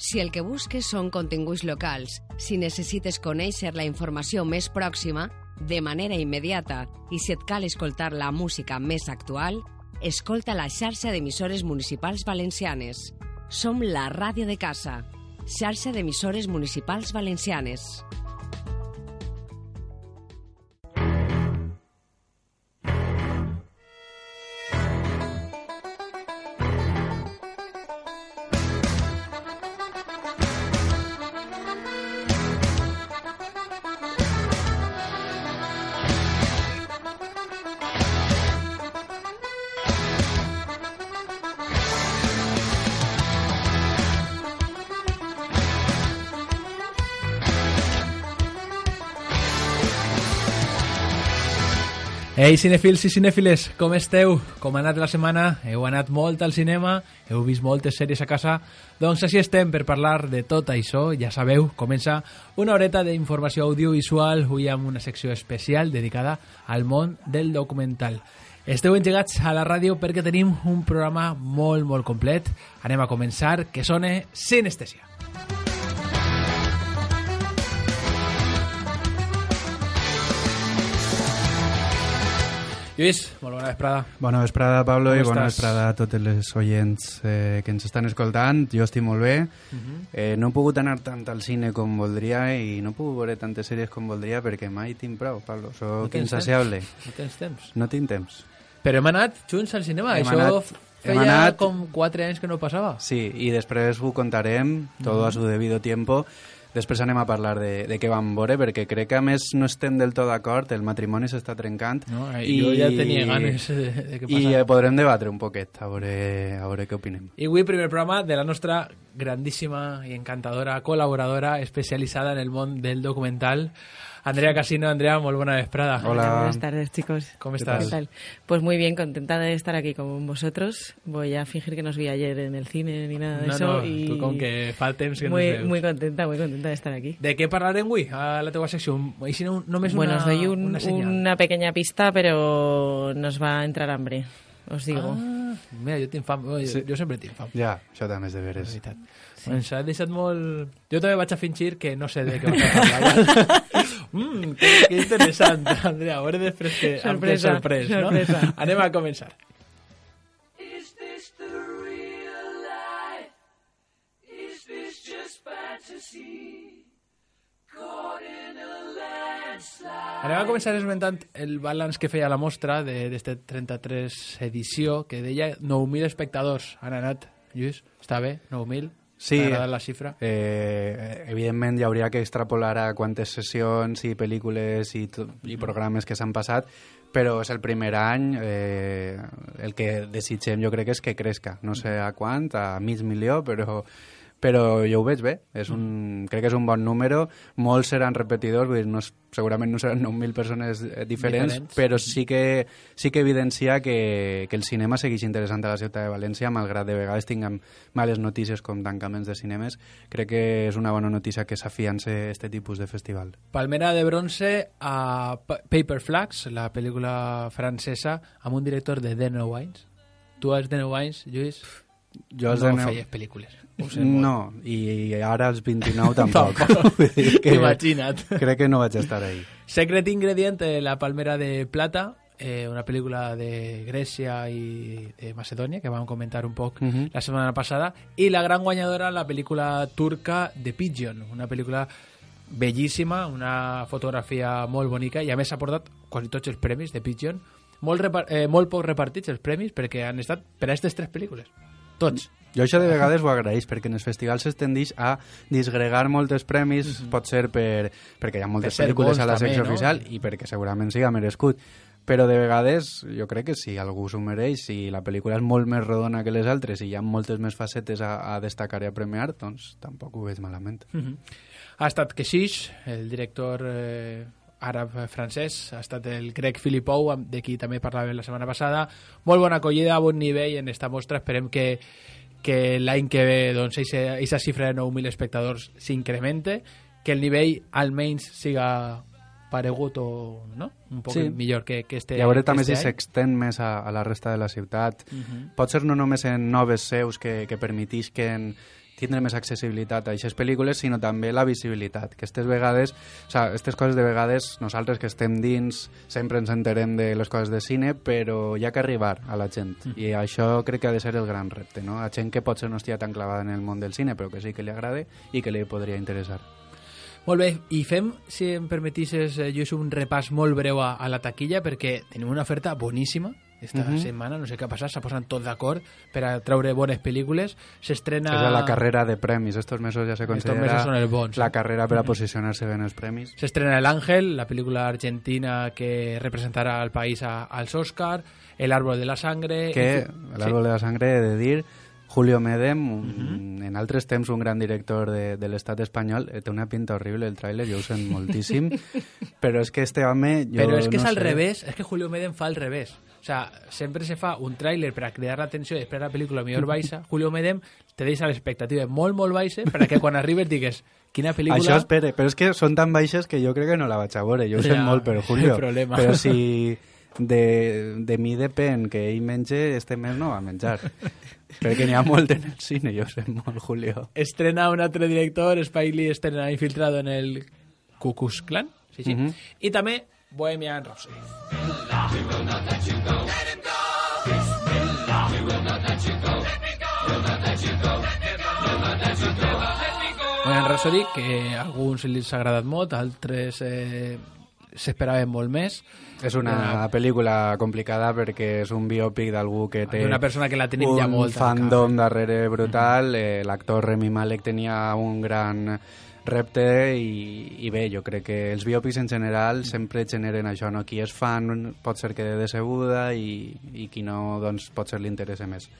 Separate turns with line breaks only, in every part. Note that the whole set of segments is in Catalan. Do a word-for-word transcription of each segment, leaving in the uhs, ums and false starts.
Si el que busques són continguts locals, si necessites conèixer la informació més pròxima, de manera immediata, i si et cal escoltar la música més actual, escolta la xarxa d'emissores municipals valencianes. Som la ràdio de casa, xarxa d'emissores municipals valencianes.
Ei, cinefils i cinèfiles, com esteu? Com ha anat la setmana? Heu anat molt al cinema? Heu vist moltes sèries a casa? Doncs així estem per parlar de tot això. Ja sabeu, comença una horeta d'informació audiovisual, avui amb una secció especial dedicada al món del documental. Esteu engegats a la ràdio perquè tenim un programa molt, molt complet. Anem a començar, que sona Sinestèsia. Lluís, molt bona vesprada.
Bona vesprada, Pablo,
Com
i bona
estàs?
vesprada a tots els oients eh, que ens estan escoltant. Jo estic molt bé. Uh-huh. eh, no he pogut anar tant al cine com voldria i no he pogut veure tantes sèries com voldria perquè mai tinc prou, Pablo. Soc
tens
insaciable.
temps? No tens temps?
No tinc temps.
Però hem anat junts al cinema.
Hem
Això
anat-
feia
hem anat-
com quatre anys que no passava.
Sí, i després ho contarem, tot a su debido tiempo. Després anem a parlar de, de què vam veure, perquè crec que a més no estem del tot d'acord, el matrimoni s'està trencant.
No, i jo ja tenia ganes de, de que
I
passara.
eh, podrem debatre un poquet, a veure, a veure què opinem.
I avui primer programa de la nostra grandíssima i encantadora col·laboradora especialitzada en el món del documental, Andrea Casino. Andrea, molt bona vesprada.
Hola.
Buenas tardes, chicos.
¿Cómo
¿Qué
estás?
tal? Pues muy bien, contenta de estar aquí con vosotros. Voy a fingir que no os vi ayer en el cine ni nada de
No,
eso.
no,
y
tu com que fa temps que
muy,
no ens veus.
muy contenta, muy contenta de estar aquí.
De què parlarem avui a la teva secció? I si no, només
Bueno,
una,
os doy un-
una senyal.
una pequeña pista, pero nos va a entrar hambre, os digo.
Ah, mira, jo tinc fam. Jo,
Sí.
jo sempre tinc fam.
Ja, això també és de
És
veres.
veritat. Sí. Ens ha deixat molt... Jo també vaig a fingir que no sé de què vas a parlar. mm, que, que interessant, Andrea. A veure després que em té
Sorpresa,
sorprès, no?
sorpresa.
Anem a començar.
Is this the real life? Is this just fantasy? Caught in a landslide.
Anem a començar esmentant el balanç que feia la mostra d'esta trenta-tres edició, que deia nou mil espectadors han anat. Lluís, està bé? nou mil?
Sí,
T'ha agradat la xifra?
eh, evidentment hi hauria que extrapolar a quantes sessions i pel·lícules i, to- i programes que s'han passat, però és el primer any, eh, el que desitgem jo crec que és que crezca, no sé a quant, a mig milió, però, però jo ho veig bé, és un, crec que és un bon número, molts seran repetidors, vull dir, no és, segurament no seran nou mil persones eh, diferents,
Diferents.
però sí que, sí que evidencia que, que el cinema segueix interessant a la ciutat de València, malgrat de vegades tinguem males notícies com tancaments de cinemes. Crec que és una bona notícia que s'afiance este tipus de festival.
Palmera de bronze a Pa- Paper Flags, la pel·lícula francesa, amb un director de The No Wines. Tu als The No Wines, Lluís,
Jo els
no
de neu-
feies pel·lícules. Ho sé molt.
No, i ara als vint-i-nou tampoc.
Tampoc.
Vull dir que
Imagina't.
crec que no vaig estar ahí.
Secret Ingredient, eh, La Palmera de Plata, eh, una pel·lícula de Grècia i de Macedònia, que vam comentar un poc
Mhm.
la setmana passada, i la gran guanyadora, la pel·lícula turca The Pigeon, una pel·lícula bellíssima, una fotografia molt bonica, i a més s'ha portat quasi tots els premis de Pigeon, molt, repar eh, molt poc repartits els premis, perquè han estat per a aquestes tres pel·lícules. Tots.
Jo això de vegades ho agraeix, perquè en els festivals es tendeix a disgregar molts premis, mm -hmm. pot ser per, perquè hi ha moltes
Per ser
pel·lícules
bons
a la secció
també, no?
oficial i perquè segurament siga merescut. Però de vegades jo crec que si algú s'ho mereix, si la pel·lícula és molt més rodona que les altres i hi ha moltes més facetes a, a destacar i a premiar, doncs tampoc ho veig malament.
Mm -hmm. Ha estat Keshish, el director eh, àrab-francès, ha estat el Greg Philippou, amb- de qui també parlàvem la setmana passada. Molt bona acollida, a bon nivell en esta mostra. Esperem que, que l'any que ve doncs, aquesta xifra de nou mil espectadors s'incremente, que el nivell almenys siga paregut o no? un poc
Sí.
millor que, que este
I a veure també
este
si
any.
s'extén més a, a la resta de la ciutat.
Mhm.
Pot ser no només en noves seus que, que permetisquen tindre més accessibilitat a aquestes pel·lícules, sinó també la visibilitat, que aquestes vegades, o sea, aquestes coses de vegades, nosaltres que estem dins sempre ens enterem de les coses de cine, però hi ha que arribar a la gent, mm. i això crec que ha de ser el gran repte, no? A gent que potser no estigui tan clavada en el món del cine, però que sí que li agrade i que li podria interessar.
Molt bé, i fem, si em permetisses, eh, Lluís, un repàs molt breu a, a la taquilla, perquè tenim una oferta boníssima esta uh-huh. setmana, no sé què ha passat, s'ha posat tot d'acord per a treure bones pel·lícules. S'estrena...
És la carrera de premis, estos mesos ja se considera
mesos són els bons,
la
eh?
carrera per a posicionar-se bé en els premis.
S'estrena El Ángel, la pel·lícula argentina que representarà al país a, als Oscar, El árbol de la sangre...
Que, El árbol sí. de la sangre, he de dir... Julio Medem, un, uh-huh. en altres temps un gran director de, de l'estat espanyol, té una pinta horrible el tràiler, jo ho sent moltíssim, però és que este home... Jo
però és que
no
és al
sé.
revés, és que Julio Medem fa al revés. O sea, sempre se fa un tràiler per a cridar l'atenció i després la pel·lícula millor baixa. Julio Medem te deixa l'expectativa molt, molt baixa per a que quan arribes digues quina pel·lícula...
Això espere, però és que són tan baixes que jo crec que no la vaig a veure, jo ho sent ja, molt, però Julio, però si... De, de mi depèn que ell menge, este mes no va menjar. Perquè n'hi ha molt en el cine, jo sé molt, Julio.
Estrena un altre director, Spike Lee estrena Infiltrado en el Ku Klux Klan, sí, sí. Uh-huh. I també Bohemian Rhapsody. Bohemian Rhapsody, que a alguns els ha agradat molt, altres eh, s'esperaven molt més.
És una, una pel·lícula complicada perquè és un biòpic d'algú que té
una persona que la tenim
un
ja molt
fandom darrere brutal. Eh, l'actor Rami Malek tenia un gran repte i, i bé, jo crec que els biòpics en general sempre generen això, no? Qui és fan pot ser que de decebuda i, i qui no, doncs pot ser li interessa més.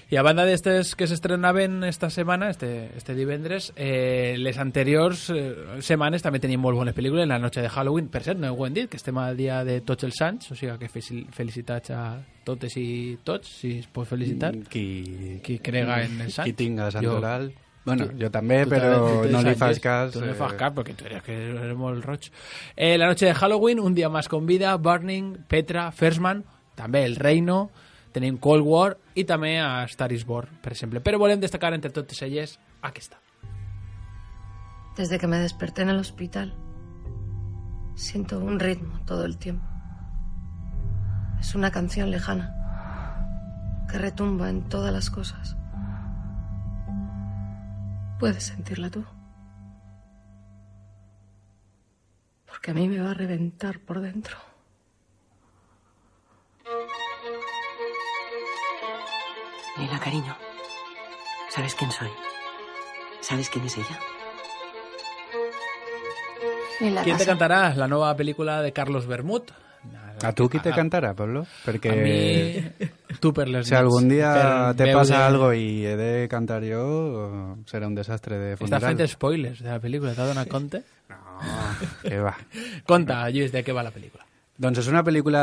I a banda d'estes que s'estrenaven esta setmana, este, este divendres, eh, les anteriors eh, setmanes també tenim molt bones pel·lícules. La noche de Halloween, per cert, no ho hem dit, que estem al dia de tots els sants, o sigui que felicitats a totes i tots, si es pot felicitar.
Qui,
qui crega en els sants.
Qui tinga santoral. Jo, bueno,
tu,
jo també, però no li fas cas.
Tu no li fas cas, perquè tu eres, que eres molt roig. Eh, la noche de Halloween, Un día más con vida, Burning, Petra, First Man, també El Reino... Tenim Cold War i també a Star is Born, per exemple. Però volem destacar entre totes elles aquesta.
Desde que me desperté en el hospital, siento un ritmo todo el tiempo. Es una canción lejana que retumba en todas las cosas. ¿Puedes sentirla tú? Porque a mí me va a reventar por dentro.
Lila, cariño, ¿sabes quién soy? ¿Sabes quién es ella?
¿Quién te cantarà? La nova pel·lícula de Carlos Bermud.
A tu qui te cantarà, Pablo? Perquè...
A mi... Tu per les
si algun dia te
veure...
passa algo i he de cantar jo, serà un desastre de funeral.
Està fent spoilers de la pel·lícula, t'ha donat compte?
No, què va.
Conta, Lluís, de què va la pel·lícula.
Doncs és una pel·lícula,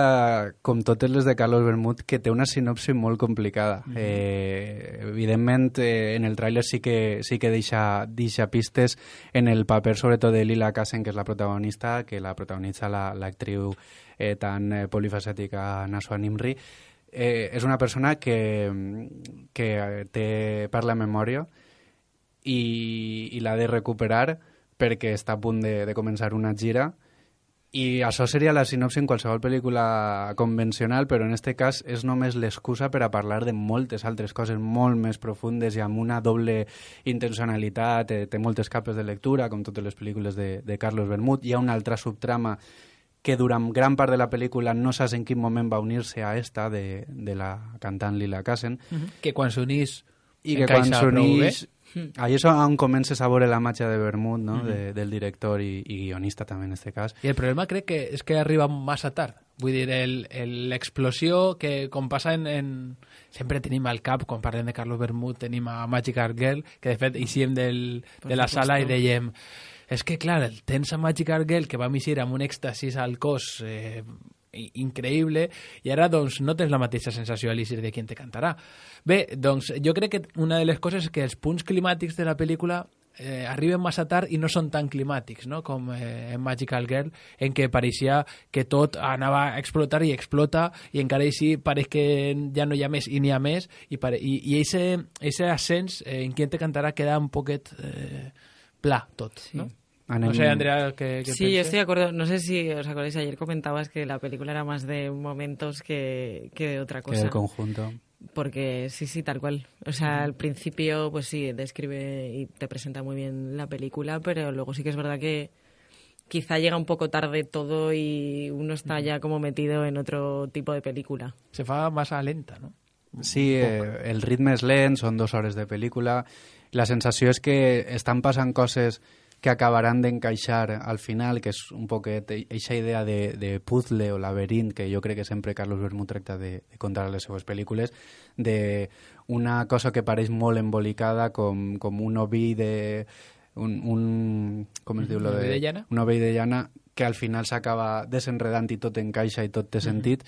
com totes les de Carlos Bermud, que té una sinopsi molt complicada. Mm-hmm. eh, evidentment, eh, en el tràiler sí que, sí que deixa, deixa pistes en el paper, sobretot de Lila Kassen, que és la protagonista, que la protagonitza l'actriu la, eh, tan eh, polifacètica Naswa Nimri. Eh, és una persona que, que té per la memòria i, i l'ha de recuperar perquè està a punt de, de començar una gira. I això seria la sinopsi en qualsevol pel·lícula convencional, però en aquest cas és només l'excusa per a parlar de moltes altres coses molt més profundes i amb una doble intencionalitat. Eh, té moltes capes de lectura, com totes les pel·lícules de, de Carlos Bermud. Hi ha una altra subtrama que durant gran part de la pel·lícula no saps en quin moment va unir-se a esta de, de la cantant Lila Kassen.
Mm-hmm. Que quan s'unís
i que quan s'unís... Ahí és on comences a veure la màgia de Bermud, no? Mm-hmm. de, del director i, i guionista també en aquest cas.
I el problema crec que és que arriba massa tard. Vull dir, l'explosió que com passa en, en... Sempre tenim al cap, quan parlem de Carlos Bermud, tenim a Magic Art Girl, que de fet eixíem del, de la sala i dèiem... És que, clar, tens a Magic Art Girl que va eixir amb un èxtasis al cos eh, increïble i ara doncs no tens la mateixa sensació a l'eixir de qui te cantarà. Bé, doncs jo crec que una de les coses és que els punts climàtics de la pel·lícula eh, arriben massa tard i no són tan climàtics, no? Com eh, en Magical Girl, en què pareixia que tot anava a explotar i explota, i encara així pareix que ja no hi ha més i n'hi ha més, i, pare... i, i ese, ese ascens eh, en Quién te cantará queda un poquet eh, pla tot, sí. ¿No?
Anem...
No sé, Andrea, ¿qué, qué
Sí,
piensas?
yo estoy de acuerdo. No sé si os acordáis, ayer comentabas que la película era más de momentos que, que de otra cosa.
Que del conjunto.
Porque sí, sí, tal cual. O sea, al principio, pues sí, describe y te presenta muy bien la película, pero luego sí que es verdad que quizá llega un poco tarde todo y uno está ya como metido en otro tipo de película.
Se fa massa lenta, no?
Sí, eh, el ritme és lent, són dues hores de pel·lícula. La sensació és que estan passant coses que acabaran d'encaixar al final, que és un poquet eixa idea de, de puzzle o laberint que jo crec que sempre Carlos Bermúdez tracta de, de contar a les seues pel·lícules, de una cosa que pareix molt embolicada com, com un oví de... Un, un, com es diu? Lo
Un oví
de,
de llana?
Un oví de llana que al final s'acaba desenredant i tot encaixa i tot té sentit.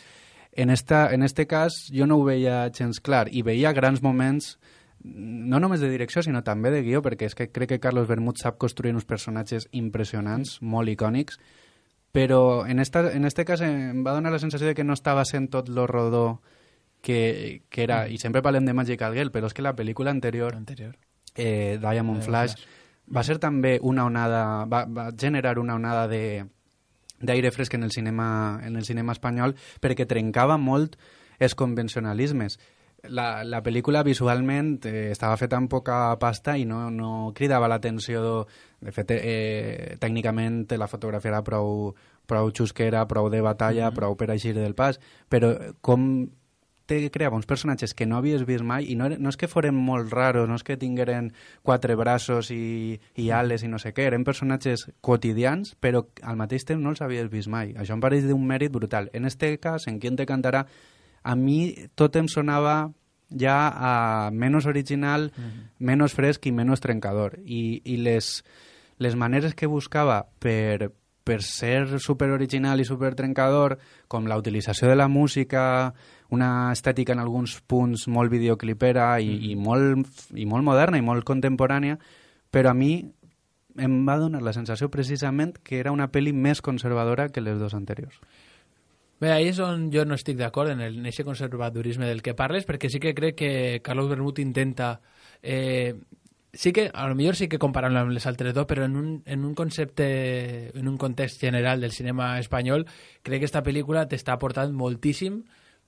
En, esta, en este cas jo no ho veia gens clar i veia grans moments no només de direcció, sinó també de guió, perquè és que crec que Carlos Bermúdez sap construir uns personatges impressionants, molt icònics, però en, esta, en este cas em va donar la sensació de que no estava sent tot lo rodó que, que era, mm. i sempre parlem de Magical Girl, però és que la pel·lícula anterior,
anterior.
Eh, Diamond Flash,
Flash,
va ser també una onada, va, va generar una onada de d'aire fresc en el cinema en el cinema espanyol, perquè trencava molt els convencionalismes. La, la pel·lícula visualment eh, estava feta amb poca pasta i no, no cridava l'atenció. De fet, eh, tècnicament la fotografia era prou, prou xusquera, prou de batalla, mm-hmm. prou per eixir del pas, però com te creava uns personatges que no havies vist mai, i no, no és que foren molt raros, no és que tingueren quatre braços i, i ales i no sé què, eren personatges quotidians, però al mateix temps no els havies vist mai. Això em pareix d'un mèrit brutal. En este cas, en Quién te cantará, a mi tot em sonava ja a menys original, uh-huh. menys fresc i menys trencador. I, i les, les maneres que buscava per, per ser superoriginal i supertrencador, com la utilització de la música, una estètica en alguns punts molt videoclipera i, uh-huh. i, molt, i molt moderna i molt contemporània, però a mi em va donar la sensació precisament que era una pel·li més conservadora que les dues anteriors.
Bé, ahí és on jo no estic d'acord en aquest conservadorisme del que parles, perquè sí que crec que Carlos Bermúdez intenta... Eh, sí que, a lo millor sí que comparant-lo amb les altres dos, però en un, en un concepte, en un context general del cinema espanyol, crec que esta pel·lícula t'està aportant moltíssim,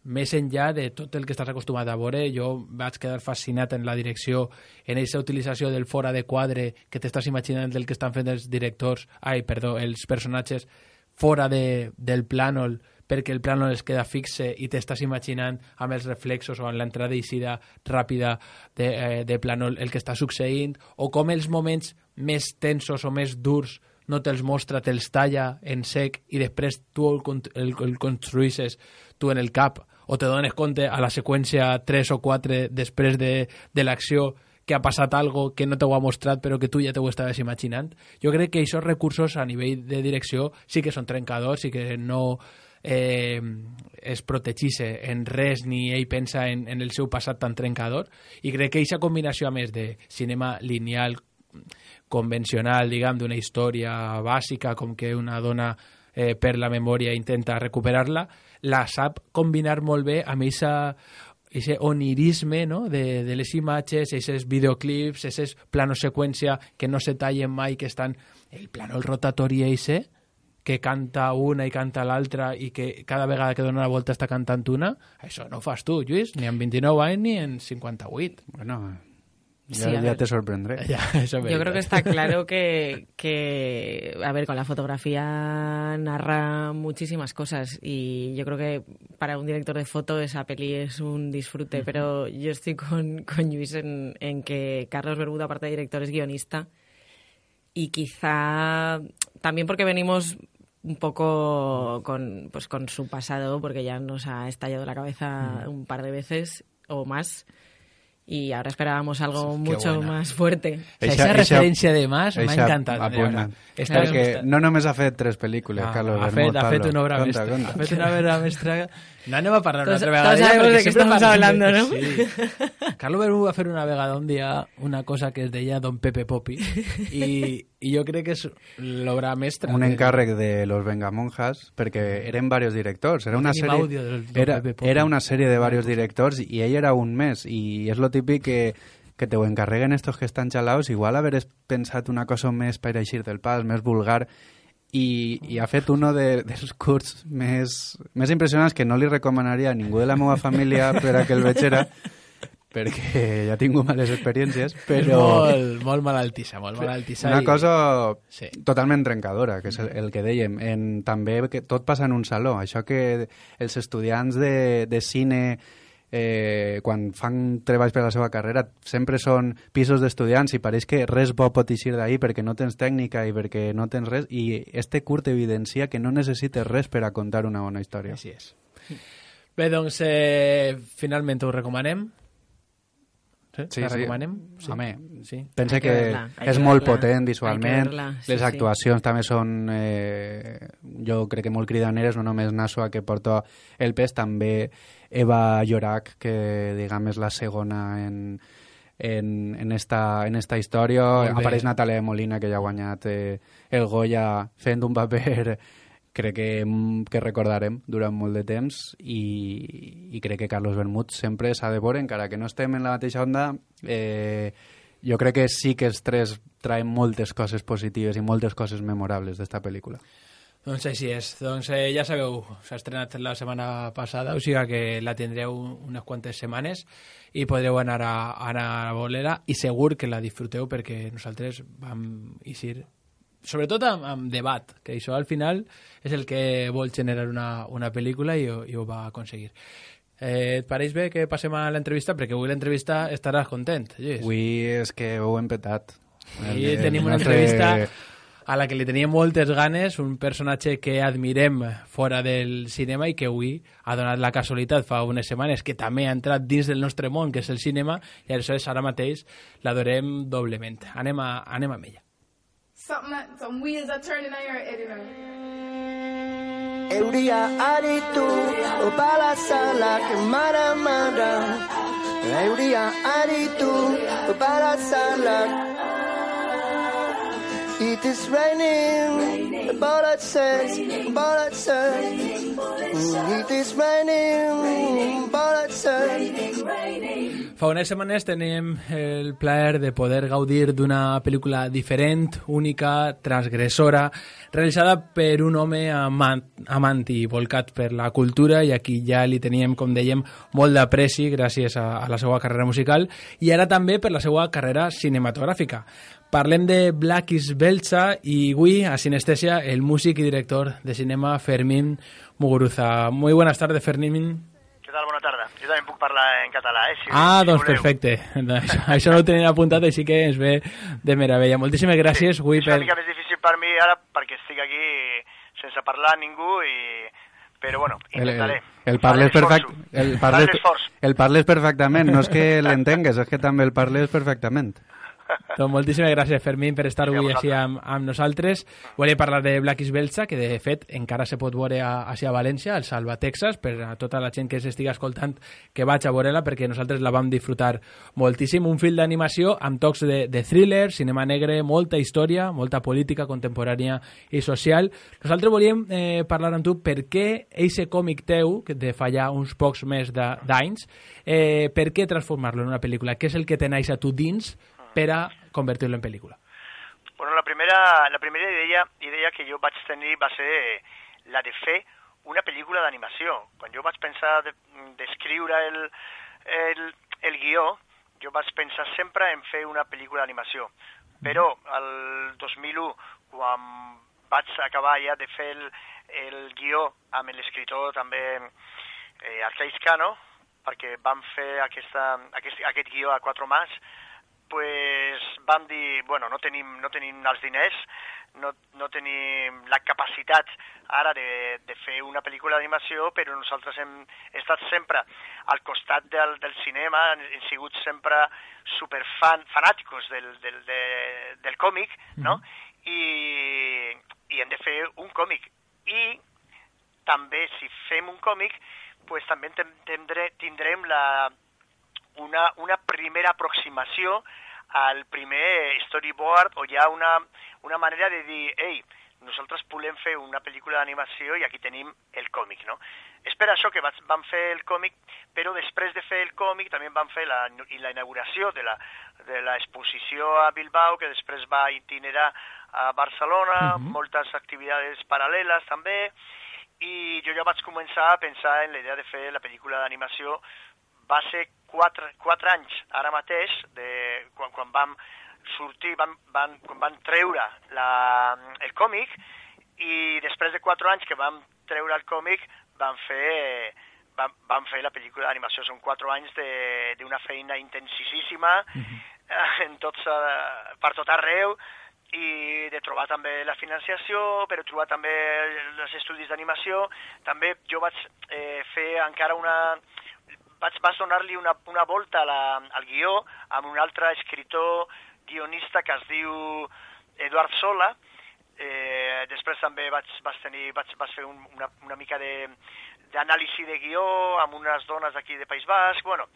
més enllà de tot el que estàs acostumat a veure. Jo vaig quedar fascinat en la direcció, en aquesta utilització del fora de quadre que t'estàs imaginant del que estan fent els directors, ai, perdó, els personatges fora de, del plànol, perquè el plànol es queda fixe i t'estàs imaginant amb els reflexos o amb l'entrada i eixida ràpida de, eh, de plànol el que està succeint, o com els moments més tensos o més durs no te'ls mostra, te'ls talla en sec i després tu el, el, el construïsses tu en el cap, o te dones compte a la seqüència tres o quatre després de, de l'acció que ha passat algo que no t'ho ha mostrat però que tu ja t'ho estaves imaginant. Jo crec que aquests recursos a nivell de direcció sí que són trencadors i que no eh, es protegisse en res ni ell pensa en, en el seu passat tan trencador, i crec que aquesta combinació a més de cinema lineal convencional, diguem, d'una història bàsica com que una dona eh, per la memòria intenta recuperar-la, la sap combinar molt bé amb aquesta ese onirisme, no? de, de les imatges, aquests videoclips, aquests planos seqüència que no se tallen mai, que estan el plànol rotatori eixe, que canta una i canta l'altra i que cada vegada que dona una volta està cantant una, això no ho fas tu, Lluís, ni en vint-i-nou anys ni en cinquanta-vuit.
Bueno, ya,
Sí, a
ya
ver.
te sorprendré.
Ya, eso es
Yo creo
verdad.
que está claro que, que, a ver, con la fotografía narra muchísimas cosas y yo creo que para un director de foto esa peli es un disfrute, pero yo estoy con, con Lluís en, en que Carlos Bermúdez, aparte de director, es guionista y quizá también porque venimos un poco con, pues, con su pasado, porque ya nos ha estallado la cabeza un par de veces o más. y ahora esperábamos algo
Qué
mucho
buena.
más fuerte.
O sea,
Eixa-
esa
eixa-
referència de Mas m'ha
eixa
encantat. de
apunta.
veritat. Esta
Perquè
és-
no només ha fet tres pel·lícules,
Ah,
Carlos
ha
Bermúdez,
fet, ha fet
Pablo.
una obra
Conta,
mestra.
conta.
Ha fet una obra mestra. No anem a parlar una
Todos-
altra vegada.
todos
ja,
sabemos
perquè
de què
sempre
estamos
parlem
hablando,
de-
¿no?
Sí. Carlos Bermúdez va fer una vegada un dia una cosa que es deia Don Pepe Popi i, i jo crec que és l'obra mestra.
Un
de-
encàrrec de Los Vengamonjas, perquè eren varios directors. Era una,
tenim
sèrie,
àudio del Don
era,
Pepe Popi.
era una sèrie de varios directors i ell era un mes. I és lo típic que, que te ho encarreguen estos que estan xalaos. Igual haver pensat una cosa més per eixir del pas, més vulgar, i, i ha fet uno de, dels curts més, més impressionants que no li recomanaria a ningú de la meva família per a que el vegera, perquè ja he tingut males experiències,
És
però
molt, molt malaltissa, molt malaltissa.
una
i-
cosa
Sí.
totalment trencadora, que és el, el que dèiem. En, també que tot passa en un saló. Això que els estudiants de, de cine, eh, quan fan treballs per a la seva carrera, sempre són pisos d'estudiants i pareix que res bo pot eixir d'ahir perquè no tens tècnica i perquè no tens res. I este curt evidencia que no necessites res per a contar una bona història.
Així és. Bé, doncs, eh, finalment ho recomanem. Sí,
Sí,
la
sí.
recomanem?
Home,
sí.
Pensa
Hay que
que,
verla, hay
és
que
molt
verla,
potent
hay que
visualment,
verla, sí,
les
sí.
actuacions també són, eh, jo crec que molt cridaneres, no només Nasua, que porta el pes, també Eva Llorac, que diguem és la segona en, en, en, esta, en esta història.
Molt bé.
Apareix Natàlia de Molina, que ja ha guanyat eh, el Goya fent un paper crec que, que recordarem durant molt de temps i, i crec que Carlos Bermúdez sempre s'ha de veure, encara que no estem en la mateixa onda. eh, jo crec que sí que els tres traen moltes coses positives i moltes coses memorables d'esta pel·lícula.
Doncs així és. Doncs eh, ja sabeu, s'ha estrenat la setmana passada, o sigui que la tindreu unes quantes setmanes i podreu anar a, anar a veure-la i segur que la disfruteu perquè nosaltres vam eixir sobretot amb, amb debat, que això al final és el que vol generar una, una pel·lícula i, ho- i ho va aconseguir. Eh, et pareix bé que passem a l'entrevista? Perquè avui l'entrevista estaràs content, Lluís.
Avui és que ho hem petat.
I
El-
tenim
el
una
nostre-
entrevista a la que li teníem moltes ganes, un personatge que admirem fora del cinema i que avui ha donat la casualitat fa unes setmanes que també ha entrat dins del nostre món, que és el cinema, i aleshores ara mateix l'adorem doblement. Anem, a, anem amb ella.
Something that, some wheels are turning on your head, you know.
Euria aritu, opala salak mara-mara. Euria aritu, opala salak. It is raining, bullet says, bullet says. It is raining, bullet says.
Fa unes setmanes tenim el plaer de poder gaudir d'una pel·lícula diferent, única, transgressora, realitzada per un home amant, amant i volcat per la cultura, i aquí ja li teníem, com dèiem, molt d'apreci gràcies a, a la seva carrera musical i ara també per la seva carrera cinematogràfica. Parlem de Blakis Belcha i avui a Sinestèsia el músic i director de cinema Fermín Muguruza. Muy buenas tardes, Fermín.
Què tal? Bona tarda. Jo també puc parlar en català, eh? Si,
Ah,
si
doncs
voleu.
perfecte. Això, això no ho tenia apuntat, així que ens ve de meravella. Moltíssimes gràcies,
Sí,
avui
és una
per...
mica més difícil per mi ara perquè estic aquí sense parlar a ningú i... Però bueno,
El, el,
intentaré.
el parles
Faré
perfect,
l'esforço.
el
Faré
parles,
l'esforç.
el parles perfectament, no és que l'entengues, és que també el parles perfectament.
Doncs moltíssimes gràcies, Fermín, per estar
Sí, a
avui així
vosaltres.
amb, amb nosaltres. Volia parlar de Blakis Belcha, que de fet encara se pot veure a, així a València, al Salva, Texas, per a tota la gent que s'estiga escoltant que vaig a veure-la, perquè nosaltres la vam disfrutar moltíssim. Un film d'animació amb tocs de, de thriller, cinema negre, molta història, molta política contemporània i social. Nosaltres volíem eh, parlar amb tu per què eixe còmic teu, que de fa ja uns pocs més de- d'anys, eh, per què transformar-lo en una pel·lícula? Què és el que tenaix a tu dins per a convertir-lo en pel·lícula?
Bueno, la primera, la primera idea, idea que jo vaig tenir va ser la de fer una pel·lícula d'animació. Quan jo vaig pensar d'escriure de, el, el, el guió, jo vaig pensar sempre en fer una pel·lícula d'animació. Però el dos mil u, quan vaig acabar ja de fer el, el guió amb l'escriptor també eh, Arcais Cano, perquè vam fer aquesta, aquest, aquest guió a quatre mans, pues, vam dir, bueno, no tenim, no tenim els diners, no, no tenim la capacitat ara de, de fer una pel·lícula d'animació, però nosaltres hem estat sempre al costat del, del cinema, hem sigut sempre superfan, fanàticos del, del, de, del còmic, no? I, i hem de fer un còmic. I també, si fem un còmic, pues, també tindrem, tindrem la, una, una primera aproximació al primer storyboard, o hi ha una, una manera de dir, ei, nosaltres volem fer una pel·lícula d'animació i aquí tenim el còmic, no? És per això que vam fer el còmic, però després de fer el còmic també vam fer la, la inauguració de la, de l'exposició a Bilbao, que després va itinerar a Barcelona, uh-huh. moltes activitats paral·leles també, i jo ja vaig començar a pensar en la idea de fer la pel·lícula d'animació. Va ser quatre, quatre anys, ara mateix, de, quan, quan vam sortir, van, van, quan van treure la, el còmic, i després de quatre anys que vam treure el còmic, vam fer, vam, vam fer la pel·lícula d'animació. Són quatre anys d'una feina intensíssima, uh-huh. en tots, per tot arreu, i de trobar també la financiació, però trobar també els estudis d'animació. També jo vaig eh, fer encara una... Vaig, vaig donar-li una, una volta a la, al guió amb un altre escriptor guionista que es diu Eduard Sola. Eh, després també vaig, vaig, tenir, vaig, vaig fer un, una, una mica d'anàlisi de, de guió amb unes dones d'aquí de País Basc. Bueno,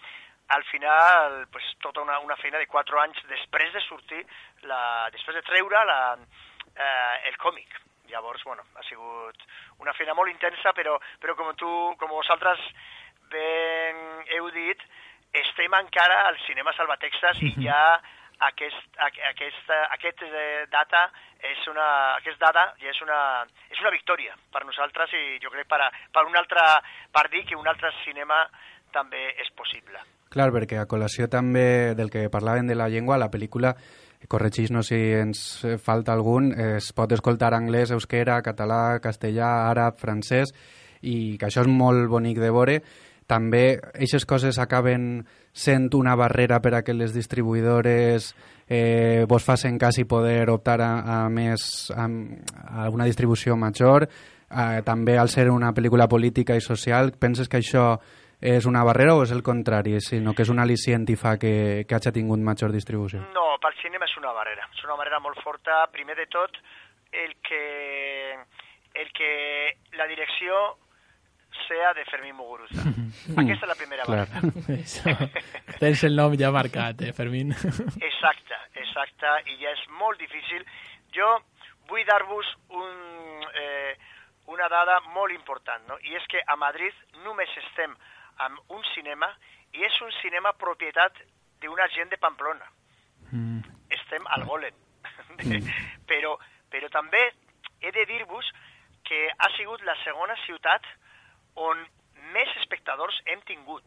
al final, pues, tota una, una feina de quatre anys després de sortir, la, després de treure la, eh, el còmic. Llavors, bueno, ha sigut una feina molt intensa, però, però com tu, com vosaltres ben heu dit, estem encara al cinema Salvatexas i ja aquest, aquest, aquest data és una, aquest data ja és una, és una victòria per nosaltres, i jo crec per, a, per, un altre, per dir que un altre cinema també és possible.
Clar, perquè a col·lació també del que parlaven de la llengua, la pel·lícula, corregeix-nos si ens falta algun, es pot escoltar anglès, euskera, català, castellà, àrab, francès, i que això és molt bonic de veure. També aquestes coses acaben sent una barrera per a que les distribuïdores eh, vos facin cas i poder optar a, a més a, a una distribució major. Eh, també al ser una pel·lícula política i social, penses que això és una barrera o és el contrari, sinó que és un al·licient i fa que, que hagi tingut major distribució?
No, pel cinema és una barrera. És una barrera molt forta. Primer de tot, el que, el que la direcció sea de Fermín Muguruza. Aquesta és la primera barrera.
Tens el nom ja marcat, eh, Fermín?
Exacte, exacte, i ja és molt difícil. Jo vull dar-vos un, eh, una dada molt important, no? I és que a Madrid només estem amb un cinema, i és un cinema propietat d'una gent de Pamplona. Mm. Estem al Golem. Mm. però, però també he de dir-vos que ha sigut la segona ciutat on més espectadors hem tingut.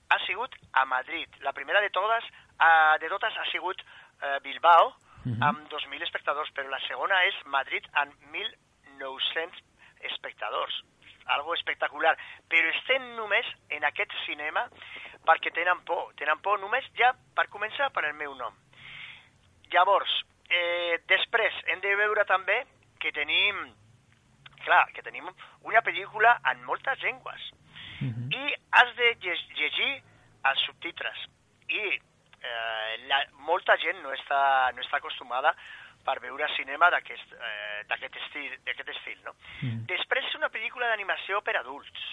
Ha sigut a Madrid. La primera de totes, uh, de totes ha sigut uh, Bilbao, uh-huh. amb dos mil espectadors, però la segona és Madrid amb mil nou-cents espectadors. Algo espectacular. Però estem només en aquest cinema perquè tenen por. Tenen por només ja, per començar, per el meu nom. Llavors, eh, després hem de veure també que tenim... Clar, que tenim una pel·lícula en moltes llengües. Uh-huh. I has de llegir els subtitres. I eh, la, molta gent no està, no està acostumada per veure cinema d'aquest eh, estil, estil, no? Uh-huh. Després és una pel·lícula d'animació per adults,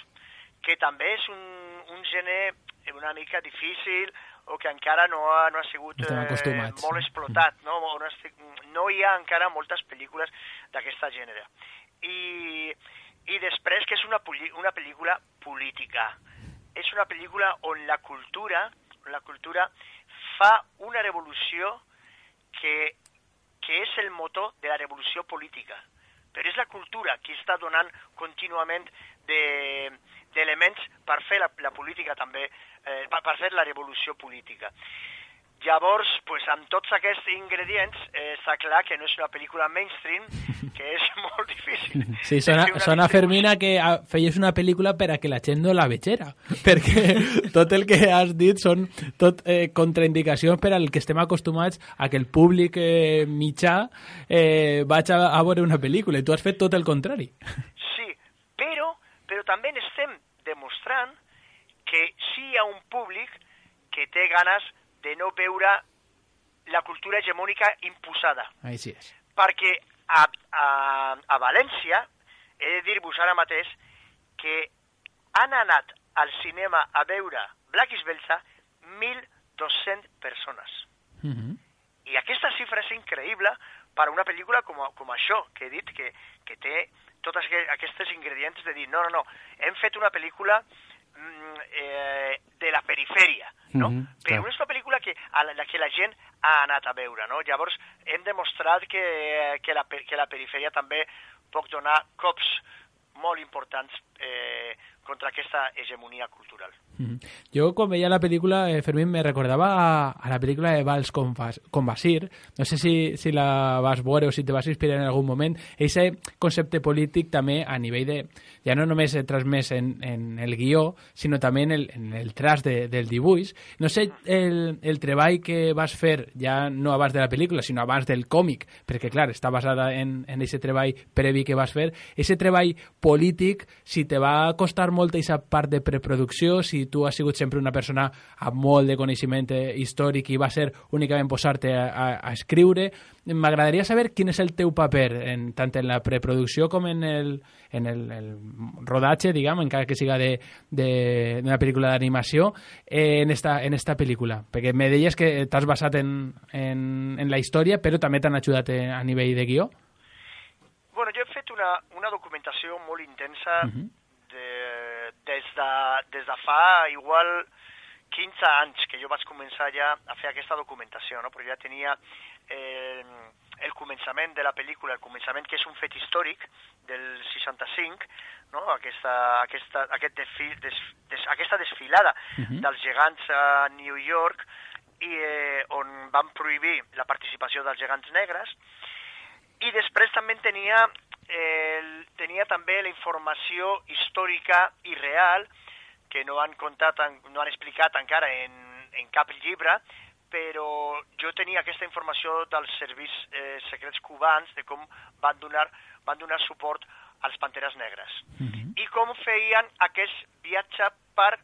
que també és un, un gènere una mica difícil, o que encara no ha, no ha sigut eh, molt explotat. No? No, no hi ha encara moltes pel·lícules d'aquesta gènere. I, i després que és una, una pel·lícula política. És una pel·lícula on la cultura, on la cultura fa una revolució que, que és el motor de la revolució política. Però és la cultura que està donant contínuament d'elements de, per fer la, la política també, eh, per, per fer la revolució política. Llavors, pues, amb tots aquests ingredients, eh, està clar que no és una pel·lícula mainstream, que és molt difícil.
Sí, sona, sona Fermina, que feies una pel·lícula per a que la gent no la vegera, perquè tot el que has dit són tot eh, contraindicacions per al que estem acostumats a que el públic eh, mitjà eh, vaig a, a veure una pel·lícula, i tu has fet tot el contrari.
Sí, però, però també estem demostrant que sí hi ha un públic que té ganes de no veure la cultura hegemònica imposada.
Així és.
Perquè a, a, a València, he de dir-vos ara mateix, que han anat al cinema a veure Black is Belsa mil dos-centes persones.
Uh-huh.
I aquesta xifra és increïble per a una pel·lícula com, com això, que he dit, que, que té tots aquests ingredients de dir, no, no, no, hem fet una pel·lícula Eh, de la perifèria, no? Mm-hmm, però clar. És una pel·lícula que, a la que la gent ha anat a veure, no? Llavors hem demostrat que, que, la, que la perifèria també pot donar cops molt importants eh, contra aquesta hegemonia cultural.
Mm-hmm. Jo, quan veia la pel·lícula, eh, Fermín, me recordava a, a la pel·lícula de Vals con, con Basir. No sé si, si la vas veure o si te vas inspirar en algun moment. Aquest concepte polític també a nivell de... Ja no només transmès en, en el guió, sinó també en el, en el tras de, del dibuix. No sé el, el treball que vas fer, ja no abans de la pel·lícula, sinó abans del còmic, perquè, clar, està basada en aquest treball previ que vas fer. Aquest treball polític, si te va costar molt aquesta part de preproducció, si tu has sigut sempre una persona amb molt de coneixement històric i va ser únicament posar-te a, a, a escriure. M'agradaria saber quin és el teu paper, en, tant en la preproducció com en el, en el, el rodatge, diguem, encara que siga d'una pel·lícula d'animació, eh, en, esta, en esta pel·lícula. Perquè me deies que t'has basat en, en, en la història, però també t'han ajudat a nivell de guió.
Bueno, jo he fet una, una documentació molt intensa uh-huh. de, des, de, des de fa igual quinze anys que jo vaig començar ja a fer aquesta documentació, no? Perquè ja tenia eh, el començament de la pel·lícula, el començament que és un fet històric del seixanta-cinc, no? aquesta, aquesta, aquest desfil, des, des, aquesta desfilada uh-huh. dels gegants a New York, i, eh, on van prohibir la participació dels gegants negres. I després també tenia, eh, tenia també la informació històrica i real, que no han contat, no han explicat encara en, en cap llibre, però jo tenia aquesta informació dels serveis eh, secrets cubans, de com van donar, van donar suport als Panteres Negres. Mm-hmm. I com feien aquest viatge per,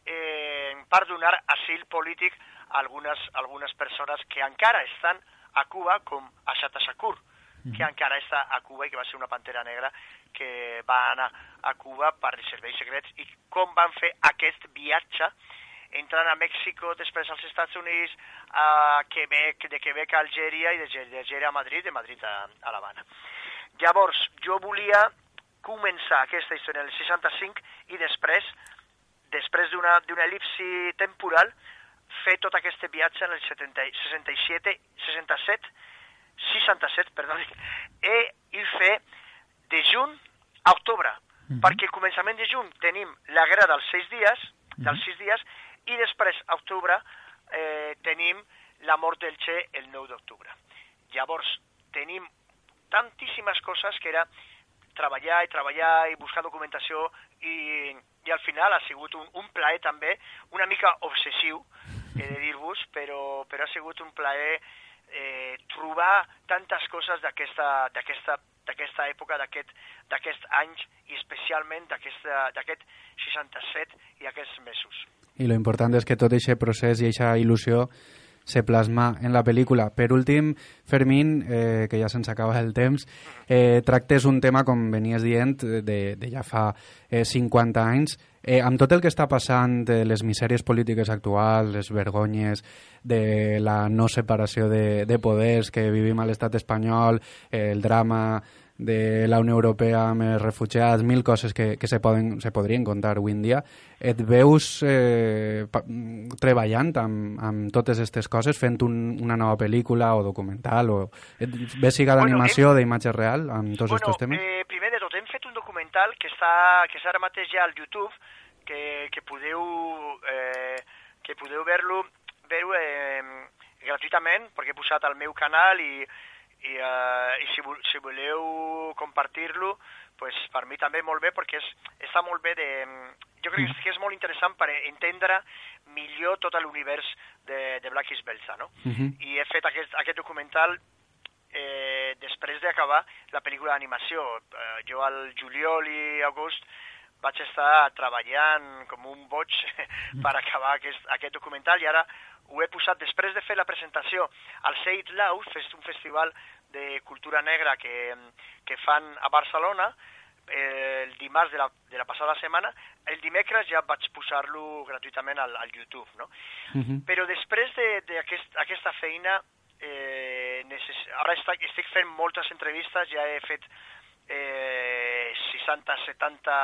eh, per donar asil polític a algunes, algunes persones que encara estan a Cuba, com Ashata Shakur, que encara està a Cuba i que va ser una pantera negra que va anar a Cuba per els serveis secrets, i com van fer aquest viatge entrant a Mèxico, després als Estats Units, a Quebec, de Quebec a Algèria i de Algèria a Madrid, de Madrid a, a l'Havana. Llavors, jo volia començar aquesta història en el seixanta-cinc i després, després d'una d'una elipsi temporal, fer tot aquest viatge en el setanta, seixanta-set, seixanta-set, seixanta-set, perdó, i, i fer de juny a octubre, mm-hmm. perquè al començament de juny tenim la guerra dels sis dies, mm-hmm. dels sis dies, i després a octubre eh, tenim la mort del Che el nou d'octubre. Llavors tenim tantíssimes coses que era treballar i treballar i buscar documentació, i, i al final ha sigut un, un plaer també, una mica obsessiu, he de dir-vos, però, però ha sigut un plaer Eh, trobar tantes coses d'aquesta d'aquesta d'aquesta època, d'aquest d'aquest anys, i especialment d'aquest seixanta-set i aquests mesos.
I lo important és que tot aquest procés i aquesta il·lusió se plasma en la pel·lícula. Per últim, Fermín, eh, que ja se'ns acaba el temps, eh, tractes un tema, com venies dient, de, de ja fa eh, cinquanta anys. Eh, amb tot el que està passant, de les misèries polítiques actuals, les vergonyes de la no separació de, de poders que vivim a l'estat espanyol, eh, el drama de la Unió Europea amb els refugiats, mil coses que, que se, poden, se podrien contar avui en dia. Et veus eh, pa, treballant amb, amb totes aquestes coses, fent un, una nova pel·lícula o documental, o et ves siga d'animació, bueno, d'imatge real, amb tots
bueno,
aquests temes?
Eh, primer de tot, hem fet un documental que està, que està ara mateix ja al YouTube, que, que podeu, eh, que podeu ver-lo, ver-ho eh, gratuïtament, perquè he posat al meu canal i, i, uh, i si, si voleu compartir-lo, pues, per mi també molt bé, perquè és, està molt bé de... Jo crec que és molt interessant per entendre millor tot l'univers de, de Black is Belza, no?
Uh-huh.
I he fet aquest, aquest documental eh, després d'acabar la pel·lícula d'animació. Eh, jo al juliol i agost vaig estar treballant com un boig per acabar aquest, aquest documental i ara ho he posat després de fer la presentació al Seid Lau, un festival de cultura negra que, que fan a Barcelona, eh, el dimarts de la, de la passada setmana. El dimecres ja vaig posar-lo gratuïtament al, al YouTube, no?
Uh-huh.
Però després d'aquesta aquest, feina, eh, necess... ara estic, estic fent moltes entrevistes, ja he fet eh, seixanta setanta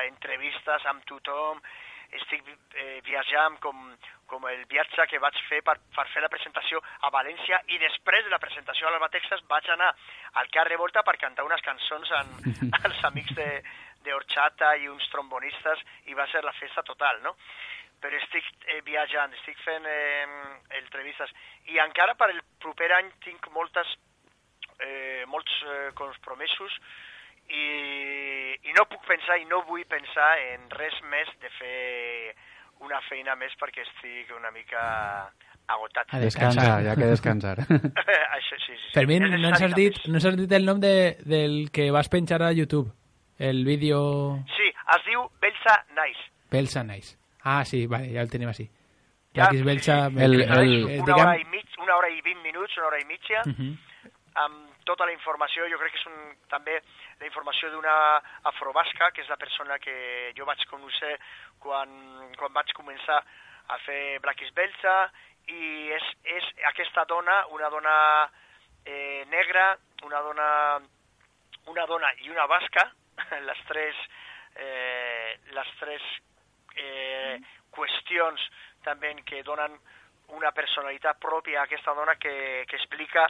entrevistes amb tothom, estic eh, viatjant com, com el viatge que vaig fer per, per fer la presentació a València i després de la presentació a l'Alba Texas vaig anar al Car Revolta per cantar unes cançons amb, amb els amics de, de Horchata i uns trombonistes i va ser la festa total, no? Però estic eh, viatjant, estic fent eh, entrevistes i encara per el proper any tinc moltes, eh, molts eh, compromisos I, i no puc pensar i no vull pensar en res més de fer una feina més perquè estic una mica agotat.
A descansar, ja que descansar.
Això, sí, sí, sí.
Fermín, no ens, has dit, no ens has dit el nom de, del que vas penjar a YouTube, el vídeo...
Sí, es diu Belza Nice.
Belza Nice. Ah, sí, vale, ja el tenim així. Ja,
sí,
Belza,
sí,
el,
el,
el,
una,
diguem...
hora i mig, una hora i vint minuts, una hora i mitja,
uh -huh.
amb tota la informació. Jo crec que és un, també la informació d'una afrobasca, que és la persona que jo vaig conèixer quan, quan vaig començar a fer Black is Belza, i és, és aquesta dona, una dona eh, negra, una dona, una dona i una basca, les tres, eh, les tres eh, qüestions també que donen una personalitat pròpia a aquesta dona que, que explica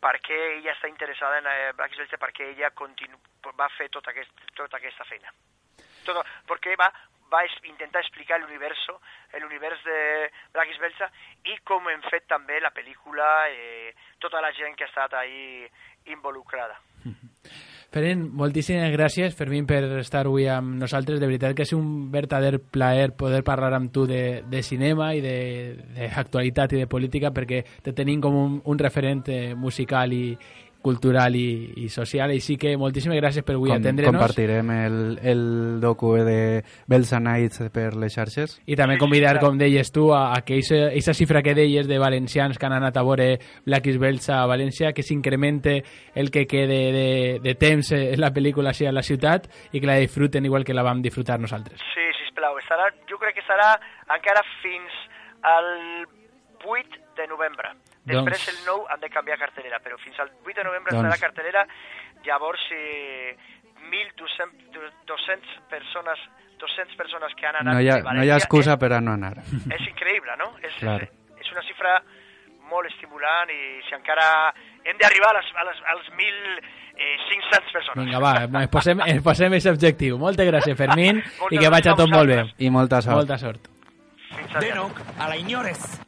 per què ella està interessada en eh, Black is Belza, per què ella continu, va fer tota, aquest, tota aquesta feina. Tot, perquè va, va es, intentar explicar l'univers l'univers de Black is Belza i com hem fet també la pel·lícula, eh, tota la gent que ha estat ahí involucrada.
Fermín, moltíssimes gràcies, Fermín, per estar avui amb nosaltres. De veritat que és un verdader plaer poder parlar amb tu de, de cinema i d'actualitat i de política, perquè te tenim com un, un referent musical i cultural i, i social, i sí que moltíssimes gràcies per avui
Com,
atendre-nos.
Compartirem el, el docu de Belza Nights per les xarxes.
I també convidar, com deies tu, a, a que aquesta xifra que deies de valencians que han anat a veure Black is Belza a València, que s'incremente el que quede de, de temps en la pel·lícula a la ciutat i que la disfruten igual que la vam disfrutar nosaltres.
Sí, sisplau, estarà, jo crec que serà encara fins al vuit de novembre. Després doncs... el nou han de canviar cartelera, però fins al vuit de novembre doncs... estarà cartelera. Llavors, eh, mil dos-cents persones, dos-cents persones que han anat
no hi ha,
de València...
No hi ha excusa és, per a no anar.
És increïble, no? És,
claro.
és, és una xifra molt estimulant i si encara hem d'arribar a les, a les, als mil cinc-cents persones.
Vinga, va, ens posem, ens posem aquest objectiu. Moltes gràcies, Fermín, i que vagi tot molt bé.
I molta sort.
Molta sort.
Denok, a la Iñores.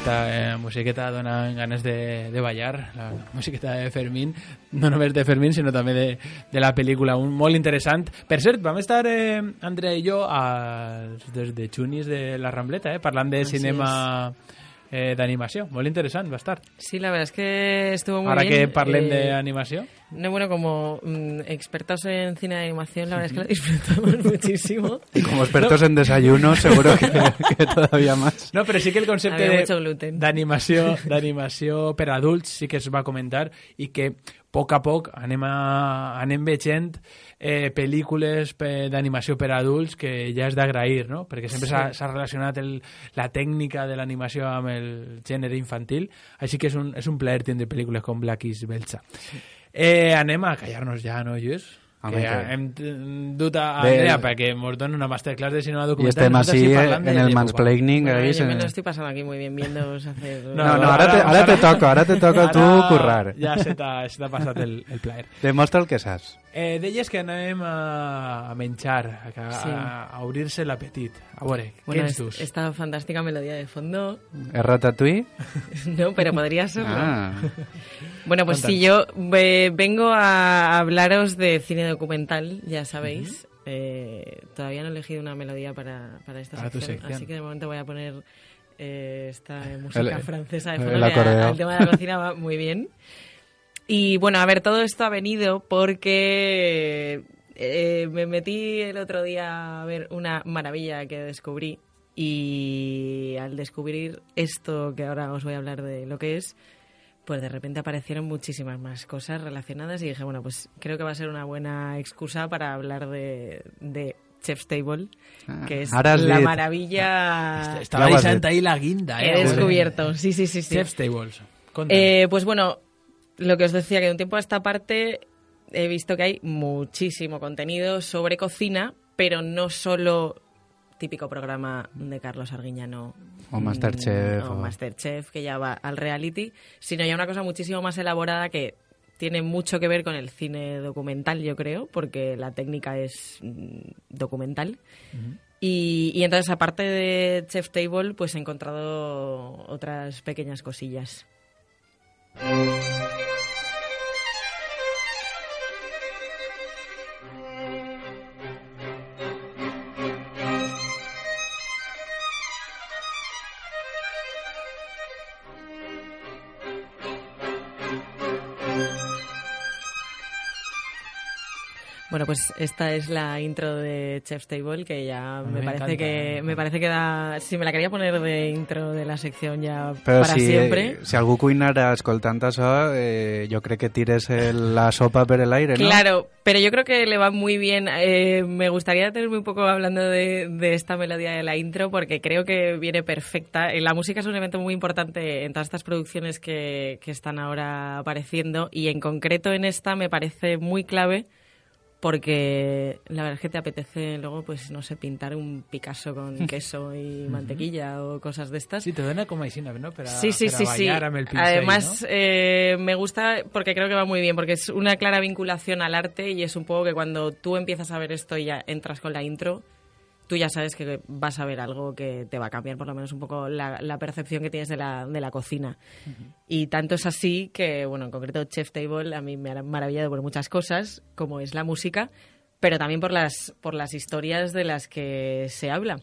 Esta eh, musiqueta dona ganes de, de ballar, la musiqueta de Fermín, no només de Fermín, sinó també de, de la pel·lícula, un molt interessant. Per cert, vam estar, eh, Andrea i jo, a, des de Xunis de la Rambleta, eh, parlant de cinema eh, d'animació. Molt interessant, va estar.
Sí, la verdad es que estuvo muy
Ahora
bien.
Ahora que parlem
eh,
de animación.
No, bueno, como mmm, expertos en cine de animación, la verdad es que lo disfrutamos muchísimo.
Y como expertos no. en desayuno, seguro que, que todavía más.
No, pero sí que el concepte d'animació d'animació per adults sí que es va comentar i que a poc a poc anem, a, anem veient eh, pel·lícules d'animació per adults que ja és d'agrair, no? Perquè sempre s'ha sí. relacionat el, la tècnica de l'animació amb el gènere infantil, així que és un, és un plaer tindre pel·lícules com Black is Belza. Sí. Eh, anem a callar-nos ja, no, Lluís?
Home,
que
que...
hem dut a Andrea perquè ens dona una masterclass de cinema documental.
I estem així en el mansplaining.
Bueno,
ahí
yo
se...
me lo estoy pasando aquí muy bien viéndoos hacer...
No, no, no ara, te, ara te toca, ara te toca tu currar.
Ja se t'ha passat el, el plaer.
Demostra el que saps.
Eh, deies que anem a, a menjar, a,
Sí.
a, a obrir-se l'apetit. A veure,
Bueno,
què ens
es-
dus?
esta fantástica melodía de fondo...
¿Es Ratatouille?
No, pero podría serlo.
Ah.
Bueno, pues sí, yo eh, vengo a hablaros de cine documental, ya sabéis. Uh-huh. eh, todavía no he elegido una melodía para, para esta
Para tu
sección,
sección.
así que de momento voy a poner eh, esta música
El-
francesa de
el
fondo. que
acordeón.
a- al tema de la cocina va muy bien. Y bueno, a ver, todo esto ha venido porque eh, me metí el otro día a ver una maravilla que descubrí. Y al descubrir esto que ahora os voy a hablar de lo que es, pues de repente aparecieron muchísimas más cosas relacionadas y dije, bueno, pues creo que va a ser una buena excusa para hablar de, de Chef's Table,
Ah,
que es
ara has
la
dit.
maravilla
Estava
Ja ho has
deixant
dit.
ahí la guinda,
que
eh?
he descubierto. Sí, sí, sí, sí.
Chef's Tables. Conta.
Eh, pues bueno, lo que os decía, que de un tiempo a esta parte he visto que hay muchísimo contenido sobre cocina, pero no solo típico programa de Carlos Arguiñano
O Masterchef,
o
o-
Masterchef, que ya va al reality, sino ya una cosa muchísimo más elaborada que tiene mucho que ver con el cine documental, yo creo, porque la técnica es mm, documental. Y, y entonces, aparte de Chef's Table, pues he encontrado otras pequeñas cosillas. Bueno, pues esta es la intro de Chef's Table, que ya me,
me
parece
encanta,
que
me
me parece que da, si me la quería poner de intro de la sección ya
Però
para
si,
siempre.
si algú cuinara escoltant això, eh, jo crec que tires el, la sopa per el aire, ¿no?
Claro, pero yo creo que le va muy bien. Eh, me gustaría tenerme un poco hablando de, de esta melodía de la intro, porque creo que viene perfecta. Eh, La música es un elemento muy importante en todas estas producciones que, que están ahora apareciendo, y en concreto en esta me parece muy clave, porque la verdad es que te apetece luego, pues no sé, pintar un Picasso con queso y mantequilla o cosas de estas.
Sí, te dona com així, no? Per a,
Sí, sí,
per a
sí, sí.
ballar amb el pincel,
Además,
no?
eh, me gusta porque creo que va muy bien, porque es una clara vinculación al arte, y es un poco que cuando tú empiezas a ver esto y ya entras con la intro, tú ya sabes que vas a ver algo que te va a cambiar por lo menos un poco la, la percepción que tienes de la, de la cocina. Uh-huh. Y tanto es así que, bueno, en concreto Chef's Table a mí me ha maravillado por muchas cosas, como es la música, pero también por las, por las historias de las que se habla.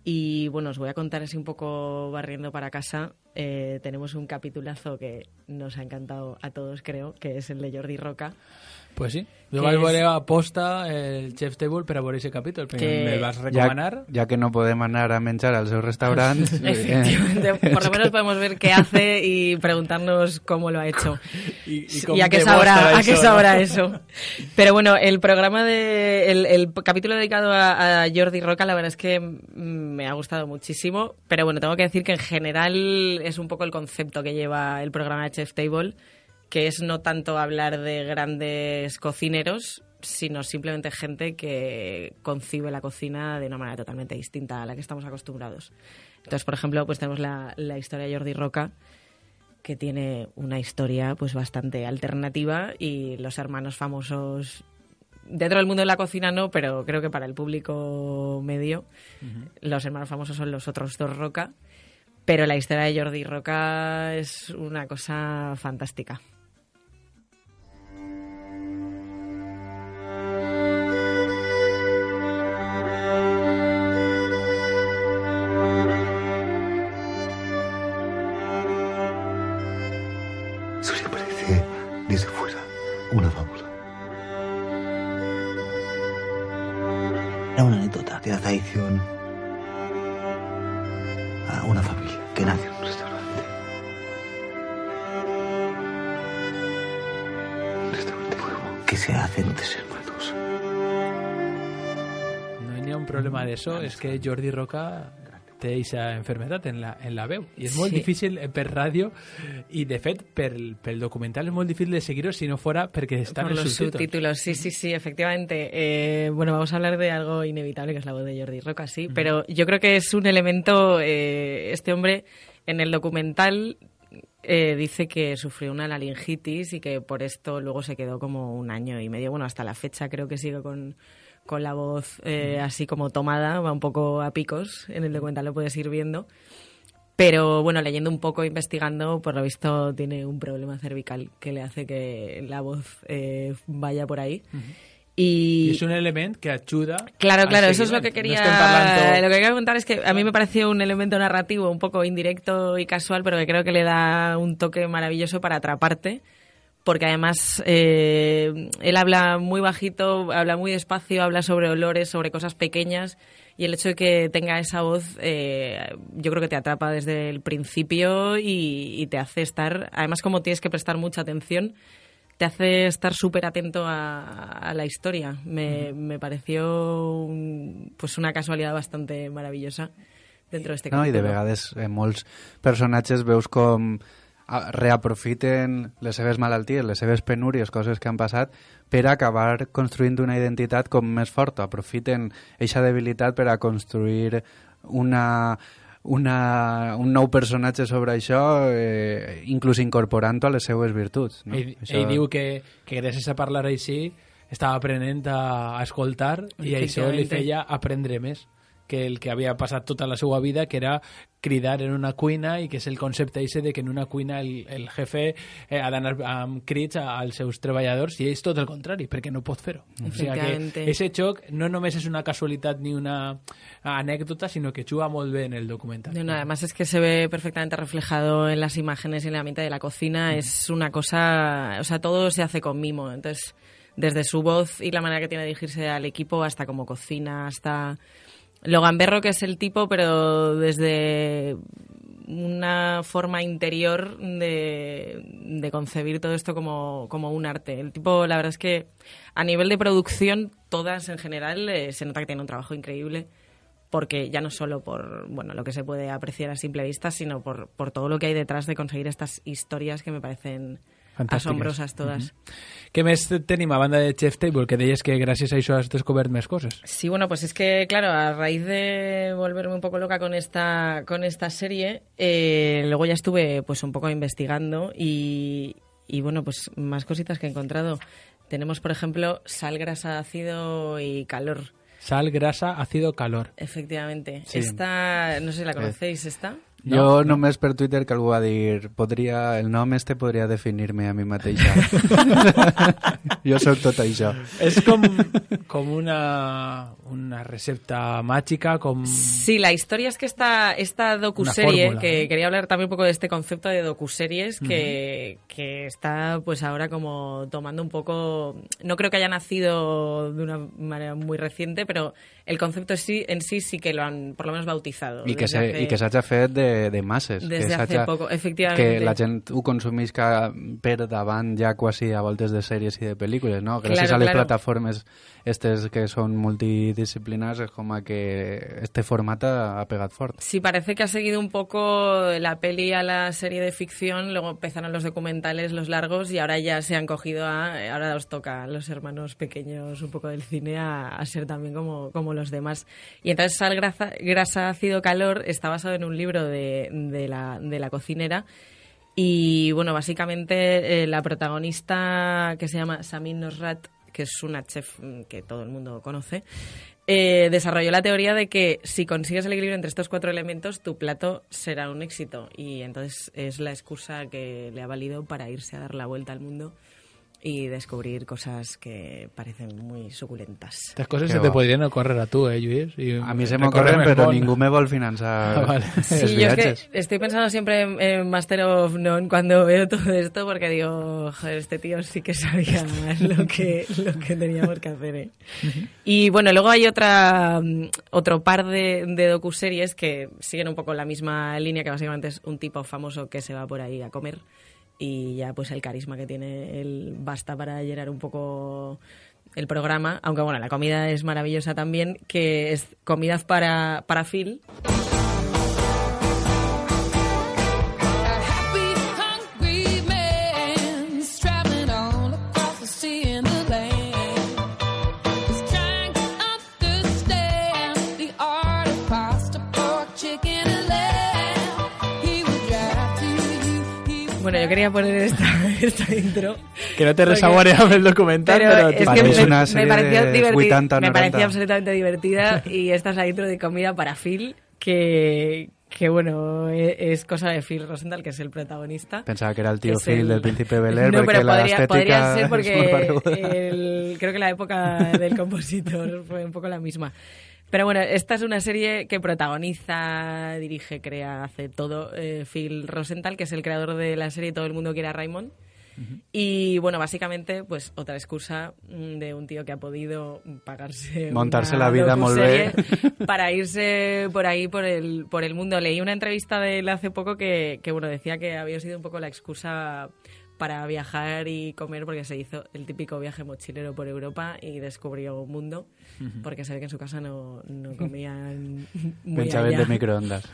Y bueno, os voy a contar así un poco barriendo para casa. Eh, tenemos un capitulazo que nos ha encantado a todos, creo, que es el de Jordi Roca.
Pues sí. Jo
Que
vaig
és-
veure a posta el Chef's Table per a veure aquest capítol, perquè
Que-
me'l vas
Ja,
recomanar.
ja que no podem anar a menjar al seu restaurant...
Efectivamente, por lo menos podemos ver qué hace y preguntarnos cómo lo ha hecho.
I, i,
Y
com
a qué
demostra
sabrá, a
això,
qué
no?
sabrá eso. Pero bueno, el programa de. El, el capítulo dedicado a, a Jordi Roca, la verdad es que mm, me ha gustado muchísimo. Pero bueno, tengo que decir que en general es un poco el concepto que lleva el programa de Chef's Table, que es no tanto hablar de grandes cocineros, sino simplemente gente que concibe la cocina de una manera totalmente distinta a la que estamos acostumbrados. Entonces, por ejemplo, pues tenemos la, la historia de Jordi Roca, que tiene una historia pues bastante alternativa, y los hermanos famosos dentro del mundo de la cocina no, pero creo que para el público medio uh-huh. los hermanos famosos son los otros dos Roca, pero la historia de Jordi Roca es una cosa fantástica.
Eso sí parece desde fuera una fábula. Era una anécdota de la traición a una familia que nace en un restaurante. Un restaurante nuevo que se hace en tres hermanos.
No hi ha un problema d'això, és que Jordi Roca té aquesta enfermedad en la, en la veu. I és molt
Sí.
difícil per ràdio i, de fet, pel, pel documental és molt difícil de seguir-ho si no fuera perquè estan
Por
els
los
subtítulos.
subtítulos, sí, sí, sí, efectivamente. Eh, bueno, vamos a hablar de algo inevitable, que es la voz de Jordi Roca, sí, uh-huh. pero yo creo que es un elemento, eh, este hombre en el documental eh, dice que sufrió una laringitis y que por esto luego se quedó como un año y medio, bueno, hasta la fecha creo que sigue con, con la voz eh, así como tomada, va un poco a picos, en el documental lo puedes ir viendo. Pero bueno, leyendo un poco, investigando, por lo visto tiene un problema cervical que le hace que la voz eh, vaya por ahí. Uh-huh. Y...
I és un element que ajuda...
Claro, claro, eso es lo que quería...
No parlant...
Lo que quería comentar es que a mí me pareció un elemento narrativo un poco indirecto y casual, pero que creo que le da un toque maravilloso para atraparte, porque además eh, él habla muy bajito, habla muy despacio, habla sobre olores, sobre cosas pequeñas, y el hecho de que tenga esa voz eh, yo creo que te atrapa desde el principio y, y te hace estar, además como tienes que prestar mucha atención, te hace estar súper atento a, a la historia. Me, me pareció un, pues una casualidad bastante maravillosa dentro de este capítulo.
No, i de vegades en molts personatges veus com reaprofiten les seves malalties, les seves penúries, coses que han passat, per acabar construint una identitat com més forta. Aprofiten eixa debilitat per a construir una, una, un nou personatge sobre això, eh, inclús incorporant-ho a les seues virtuts. No?
Ell,
això...
ell diu que, que gràcies a parlar així estava aprenent a, a escoltar i això li feia aprendre més que el que havia passat tota la seva vida, que era cridar en una cuina, i que és el concepte ese de que en una cuina el, el jefe eh, ha d'anar amb crits als seus treballadors, i és tot el contrari, perquè no pot fer-ho. O sigui que ese xoc no només és una casualitat ni una anècdota, sinó que juga molt bé en el documental.
No, no, además es que se ve perfectamente reflejado en las imágenes y en el ambiente de la cocina. Mm. Es una cosa, o sea, todo se hace con mimo. Entonces, desde su voz y la manera que tiene de dirigirse al equipo, hasta cómo cocina, hasta lo gamberro que es el tipo, pero desde una forma interior de, de concebir todo esto como, como un arte. El tipo, la verdad es que a nivel de producción, todas en general, eh, se nota que tiene un trabajo increíble, porque ya no solo por bueno lo que se puede apreciar a simple vista, sino por, por todo lo que hay detrás de conseguir estas historias que me parecen asombrosas todas.
Uh-huh. Què més tenim a banda de Chef Table? Que deies que gràcies a això has descobert més coses.
Sí, bueno, pues es que, claro, a raíz de volverme un poco loca con esta, con esta serie, eh, luego ya estuve pues un poco investigando y, y, bueno, pues más cositas que he encontrado. Tenemos, por ejemplo, sal, grasa, ácido y calor.
Sal, grasa, ácido, calor.
Efectivamente.
Sí.
Esta, no sé si la conocéis, ¿esta?
No, jo no. només per Twitter que algú va dir podria, el nom este podria definir-me a mi mateixa. Jo sóc tot això.
És com, com una, una recepta màgica, com...
Sí, la historia es que esta, esta docuserie, fórmula, que ¿no? Quería hablar también un poco de este concepto de docuseries que, uh-huh. que está pues ahora como tomando un poco... No creo que haya nacido de una manera muy reciente, pero el concepto en sí, en sí sí que lo han por lo menos bautizado.
I que, se, hace... i que s'hagi fet de de masses.
Desde
que
hace poco, efectivamente.
Que la gent ho consumís per davant ja quasi a voltes de sèries i de pel·lícules, no? Gràcies
claro,
a les
claro.
plataformes estes que són multidisciplinars, es com a que este format ha pegat fort.
Sí, parece que ha seguido un poco la peli a la serie de ficción, luego empezaron los documentales, los largos, y ahora ya se han cogido a... Ahora os toca a los hermanos pequeños un poco del cine a, a ser también como, como los demás. Y entonces Sal, grasa, grasa, ácido, calor está basado en un libro de De, de, la, de la cocinera y bueno, básicamente eh, la protagonista, que se llama Samin Nosrat, que es una chef que todo el mundo conoce, eh, desarrolló la teoría de que si consigues el equilibrio entre estos cuatro elementos, tu plato será un éxito, y entonces es la excusa que le ha valido para irse a dar la vuelta al mundo y descobrir cosas que parecen muy suculentas.
Estas cosas que se va. Te podrían ocurrir a tú, ¿eh, Lluís? Y
a mí se me ocurren, pero bon. Ningú me vol financiar ah, vale.
Sí, yo es que estoy pensando siempre en, en Master of None cuando veo todo esto, porque digo, joder, este tío sí que sabía lo que, lo que teníamos que hacer, ¿eh? Uh-huh. Y bueno, luego hay otra otro par de, de docuseries que siguen un poco la misma línea, que básicamente es un tipo famoso que se va por ahí a comer, y ya pues el carisma que tiene él basta para llenar un poco el programa, aunque bueno, la comida es maravillosa también, que es Comidas para, para Phil. Bueno, yo quería poner esta, esta intro.
Que no te resaboreaba el documental, pero,
pero
te
es que
parece
me,
una
me
serie
pareció
de
divertida,
vuitanta,
me
noranta.
parecía absolutamente divertida y esta es la intro de Comida para Phil, que, que bueno, es, es cosa de Phil Rosenthal, que es el protagonista.
Pensaba que era el tío
Es
Phil
el-
del Príncipe Bel Air,
No,
porque
pero
la
podría,
estética
podría ser
es muy
porque
parecida.
el- creo que la época del compositor fue un poco la misma. Pero bueno, esta es una serie que protagoniza, dirige, crea, hace todo eh, Phil Rosenthal, que es el creador de la serie Todo el mundo quiere a Raymond. Y bueno, básicamente, pues otra excusa mm, de un tío que ha podido pagarse
Montarse
una
la vida molt bé.
docuserie para irse por ahí por el por el mundo. Leí una entrevista de él hace poco que, que bueno, decía que había sido un poco la excusa para viajar y comer, porque se hizo el típico viaje mochilero por Europa y descubrió un mundo, porque se ve que en su casa no, no comían muy
Pensaven
allá.
de microondas.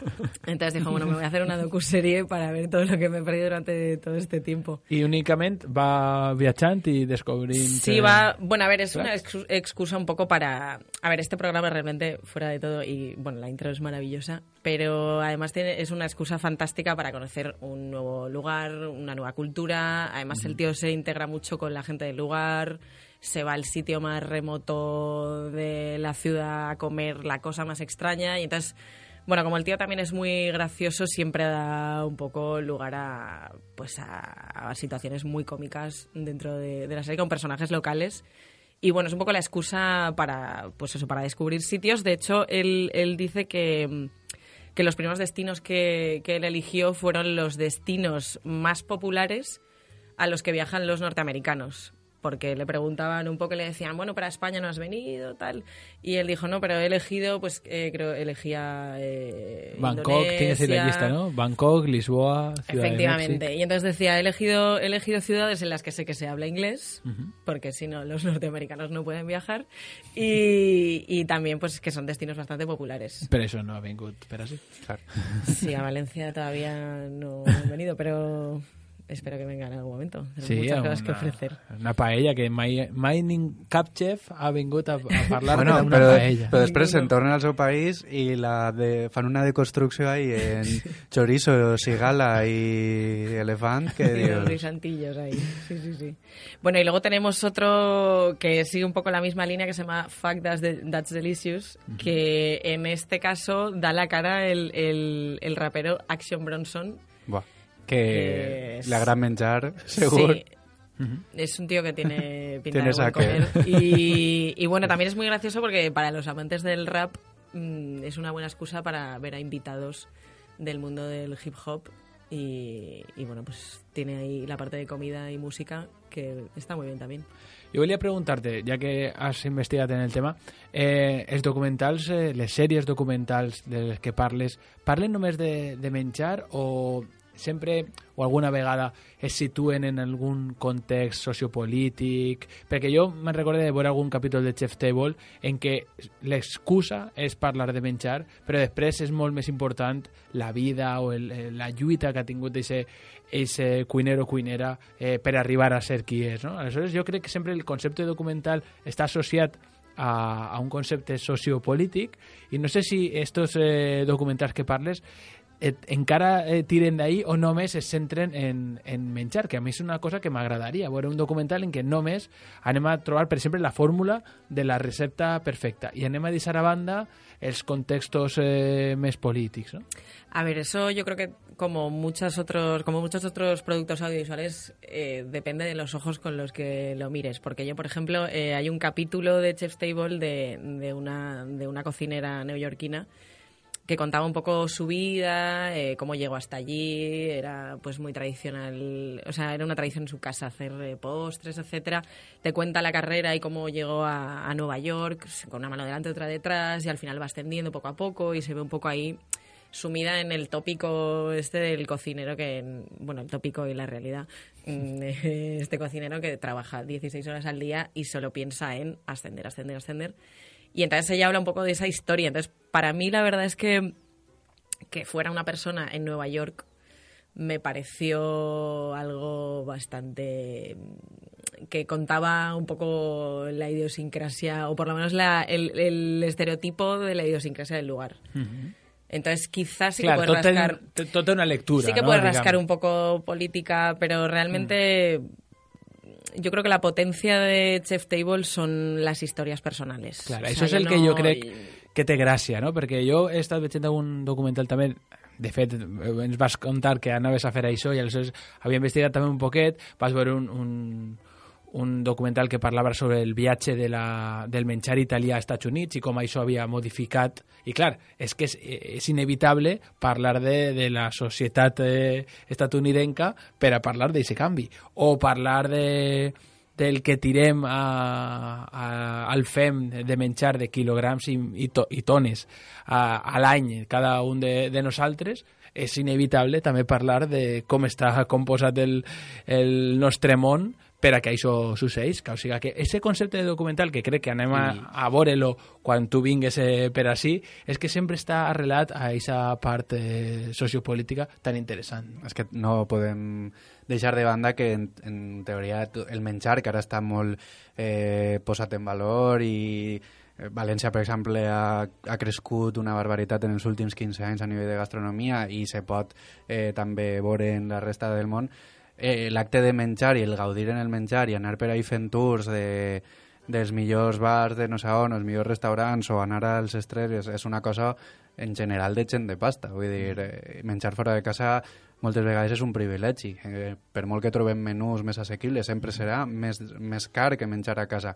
Entonces dijo, bueno, me voy a hacer una docuserie para ver todo lo que me he perdido durante todo este tiempo.
I únicament va viatjant i descobrint...
Sí,
eh,
va... Bueno, a ver, es una
Claro.
excu- excusa un poco para... A ver, este programa realmente, fuera de todo, y bueno, la intro es maravillosa, pero además tiene, es una excusa fantástica para conocer un nuevo lugar, una nueva cultura. Además, el tío se integra mucho con la gente del lugar, se va al sitio más remoto de la ciudad a comer la cosa más extraña y entonces... Bueno, como el tío también es muy gracioso, siempre da un poco lugar a, pues a, a situaciones muy cómicas dentro de, de la serie con personajes locales. Y bueno, es un poco la excusa para, pues eso, para descubrir sitios. De hecho, él, él dice que, que los primeros destinos que, que él eligió fueron los destinos más populares a los que viajan los norteamericanos. Porque le preguntaban un poco, le decían, bueno, para España no has venido, tal. Y él dijo, no, pero he elegido, pues eh, creo, elegía eh,
Bangkok, tiene que ser la
Indonesia.
lista, ¿no? Bangkok, Lisboa, Ciudad de
Efectivamente.
México.
Y entonces decía, he elegido, he elegido ciudades en las que sé que se habla inglés,
Ujú.
porque si no, los norteamericanos no pueden viajar. Y, y también, pues, que son destinos bastante populares.
Però això no ha vingut per així.
Claro.
Sí, a Valencia todavía no han venido, pero espero que vengan en algún momento. Tenemos
Sí,
muchas
una,
cosas que ofrecer.
una paella que mai, mai nin, cap chef ha vingut a, a parlar
Bueno,
d'una
però,
paella.
però després se'n tornen al seu país i la de, fan una deconstrucció ahí en chorizo, cigala y elefant, que
Y los
dios...
guisantillos ahí. Sí, sí, sí. Bueno, y luego tenemos otro que sigue un poco la misma línea que se llama Fuck That's, de- That's Delicious, que en este caso da la cara el, el, el rapero Action Bronson.
Buah,
Que
que
es-
la gran menjar, segur.
Sí. Es un tío que tiene pinta
Tiene
de buen
saque.
comer. Y, y bueno, también es muy gracioso porque para los amantes del rap mm, es una buena excusa para ver a invitados del mundo del hip hop. Y, y bueno, pues tiene ahí la parte de comida y música que está muy bien también.
Jo volia preguntar-te, ja que has investigat en el tema, eh, els documentals, eh, les sèries documentals de les que parles, parlen només de, de menjar o sempre o alguna vegada es situen en algun context sociopolític? Perquè jo me'n recordo de veure algun capítol de Chef's Table en què l'excusa és parlar de menjar, però després és molt més important la vida o el, la lluita que ha tingut ese cuinero o cuinera eh, per arribar a ser qui és, no? Aleshores jo crec que sempre el concepte documental està associat a, a un concepte sociopolític i no sé si estos eh, documentals que parles et, encara eh, tiren d'ahí o només es centren en, en menjar, que a mi és una cosa que m'agradaria, veure un documental en què només anem a trobar, per exemple, la fórmula de la recepta perfecta i anem a deixar a banda els contextos eh, més polítics, ¿no?
A ver, eso yo creo que como muchos otros, como muchos otros productos audiovisuales, eh, depende de los ojos con los que lo mires. Porque yo, por ejemplo, eh, hay un capítulo de Chef's Table de, de, una, de una cocinera neoyorquina que contaba un poco su vida, eh, cómo llegó hasta allí, era pues muy tradicional, o sea, era una tradición en su casa hacer eh, postres, etcétera. Te cuenta la carrera y cómo llegó a, a Nueva York, con una mano delante, otra detrás, y al final va ascendiendo poco a poco y se ve un poco ahí sumida en el tópico este del cocinero que, bueno, el tópico y la realidad, este cocinero que trabaja dieciséis horas al día y solo piensa en ascender, ascender, ascender. Y entonces ella habla un poco de esa historia. Entonces, para mí la verdad es que que fuera una persona en Nueva York me pareció algo bastante que contaba un poco la idiosincrasia, o por lo menos la, el, el estereotipo de la idiosincrasia del lugar.
Uh-huh.
Entonces, quizás sí
Clar,
que puedes
tot
rascar...
Té, tot té una lectura,
Sí que
no?
puedes
Digamos.
rascar un poco política, pero realmente mm. yo creo que la potencia de Chef Table son las historias personales.
Clar,
O sea,
això és el
no...
que jo crec que té gràcia, no? Perquè jo he estat veient un documental també, de fet, ens vas contar que anaves a fer això i aleshores havia investigat també un poquet, vas veure un, un, un documental que parlava sobre el viatge de la, del menjar italià als Estats Units i com això havia modificat. I clar, és que és, és inevitable parlar de, de la societat eh, estatunidenca per a parlar d'aquest canvi. O parlar de, del que tirem a, a, al fem de menjar de quilograms i, i, to, i tones a, a l'any cada un de, de nosaltres. És inevitable també parlar de com està composat el, el nostre món per a que això succeís. O sigui, que aquest concepte de documental, que crec que anem a, a veure-lo quan tu vingues eh, per ací, és que sempre està arrelat a aquesta part eh, sociopolítica tan interessant.
És que no podem deixar de banda que, en, en teoria, el menjar, que ara està molt eh, posat en valor i València, per exemple, ha, ha crescut una barbaritat en els últims quinze anys a nivell de gastronomia i se pot eh, també veure en la resta del món. Eh, l'acte de menjar i el gaudir en el menjar i anar per ahí fent tours de, dels millors bars de no sé on, els millors restaurants o anar als estrells és, és una cosa en general de gent de pasta. Vull dir, eh, menjar fora de casa moltes vegades és un privilegi. Eh, per molt que trobem menús més assequibles, sempre serà més, més car que menjar a casa.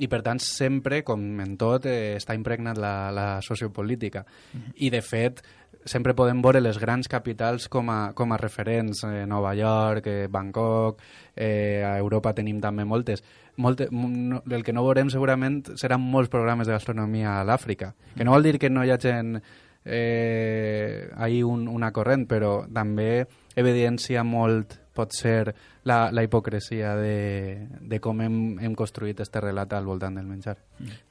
I, per tant, sempre, com en tot, eh, està impregnat la, la sociopolítica. Mm-hmm. I, de fet, sempre podem veure les grans capitals com a, com a referents. Eh, Nova York, eh, Bangkok, eh, a Europa tenim també moltes. Molte, no, el que no veurem segurament seran molts programes de gastronomia a l'Àfrica. Que no vol dir que no hi hagi eh, ahí un, una corrent, però també evidencia molt, pot ser, la, la hipocresia de, de com hem, hem construït este relat al voltant del menjar.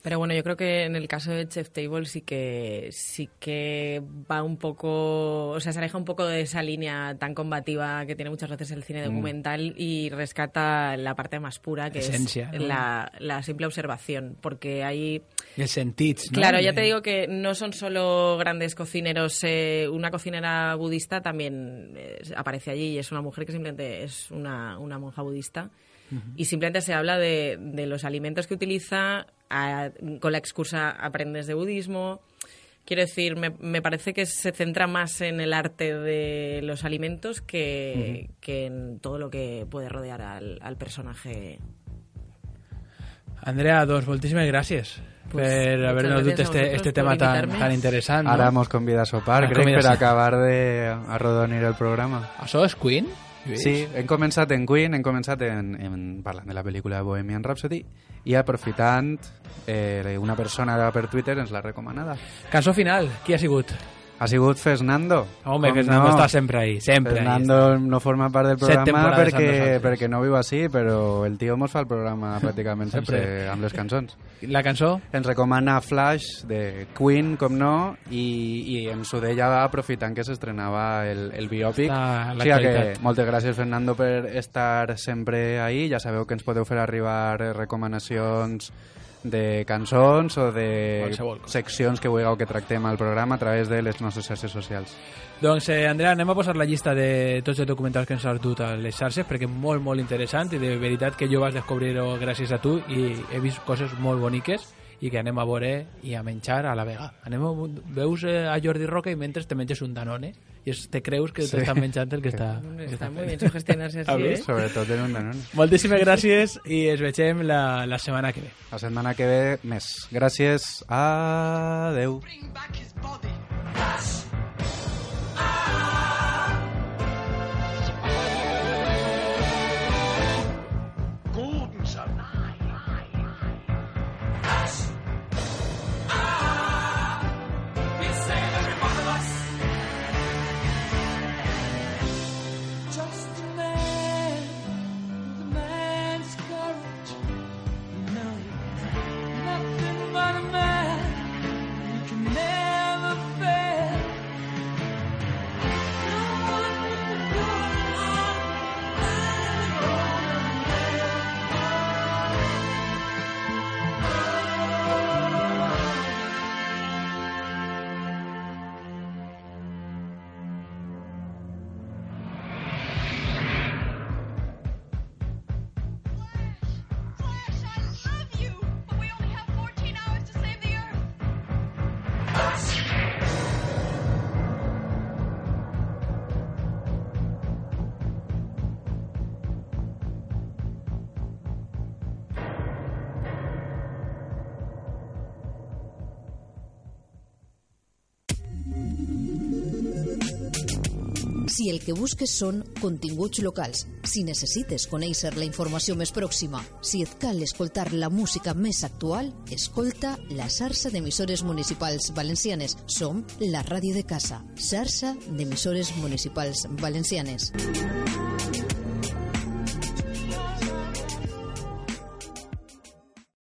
Pero bueno, yo creo que en el caso de Chef Table sí que sí que va un poco, o sea, se aleja un poco de esa línea tan combativa que tiene muchas veces el cine documental mm. y rescata la parte más pura, que Esencia, es ¿no? la, la simple observación, porque hay...
El sentits, ¿no?
Claro, ya te digo que no son solo grandes cocineros, eh, una cocinera budista también eh, aparece allí y es una mujer que simplemente es una, una monja budista. Uh-huh. Y simplemente se habla de, de los alimentos que utiliza, a, con la excusa aprendes de budismo. Quiero decir, me, me parece que se centra más en el arte de los alimentos que, uh-huh. que en todo lo que puede rodear al, al personaje.
Andrea, doncs moltíssimes gràcies pues, per haver-nos dut este, este tema tan, tan interessant. No?
Ara mos convida a sopar, Ara crec, per a acabar de arrodonir el programa.
Això és Queen?
Sí, hem començat en Queen, hem començat en, en parlant de la pel·lícula Bohemian Rhapsody i aprofitant eh, una persona per Twitter ens l'ha recomanada.
Cançó final, qui ha sigut?
Ha sigut Fernando.
Home, Fernando no? està sempre ahí, sempre.
Fernando ahí. No forma part del programa perquè, perquè no viu així, però el tio mos fa el programa pràcticament sempre, sempre amb les cançons.
La cançó?
Ens recomana Flash de Queen, com no, i, i ens ho deia aprofitant que s'estrenava el, el biòpic. O sigui que moltes gràcies, Fernando, per estar sempre ahí. Ja sabeu que ens podeu fer arribar recomanacions de cançons o de seccions que vulgueu que tractem al programa a través de les nostres xarxes socials.
Doncs, eh, Andrea, anem a posar la llista de tots els documentals que ens has dut a les xarxes perquè és molt, molt interessant i de veritat que jo vaig descobrir-ho gràcies a tu i he vist coses molt boniques i que anem a veure i a menjar a la vega. Anem a, veus eh, a Jordi Roca i mentre te menges un Danone i es, te creus que sí. t'estan menjant el que està...
Que està molt bé sugestionar-se així, eh?
Sobretot en un Danone.
Moltíssimes gràcies i ens vegem la, la setmana que ve.
La setmana que ve més. Gràcies. Adeu.
Nothing but a man, you can never
Si el que busques són continguts locals, si necessites conèixer la informació més pròxima, si et cal escoltar la música més actual, escolta la xarxa d'emissores municipals valencianes. Som la ràdio de casa, xarxa d'emissores municipals valencianes.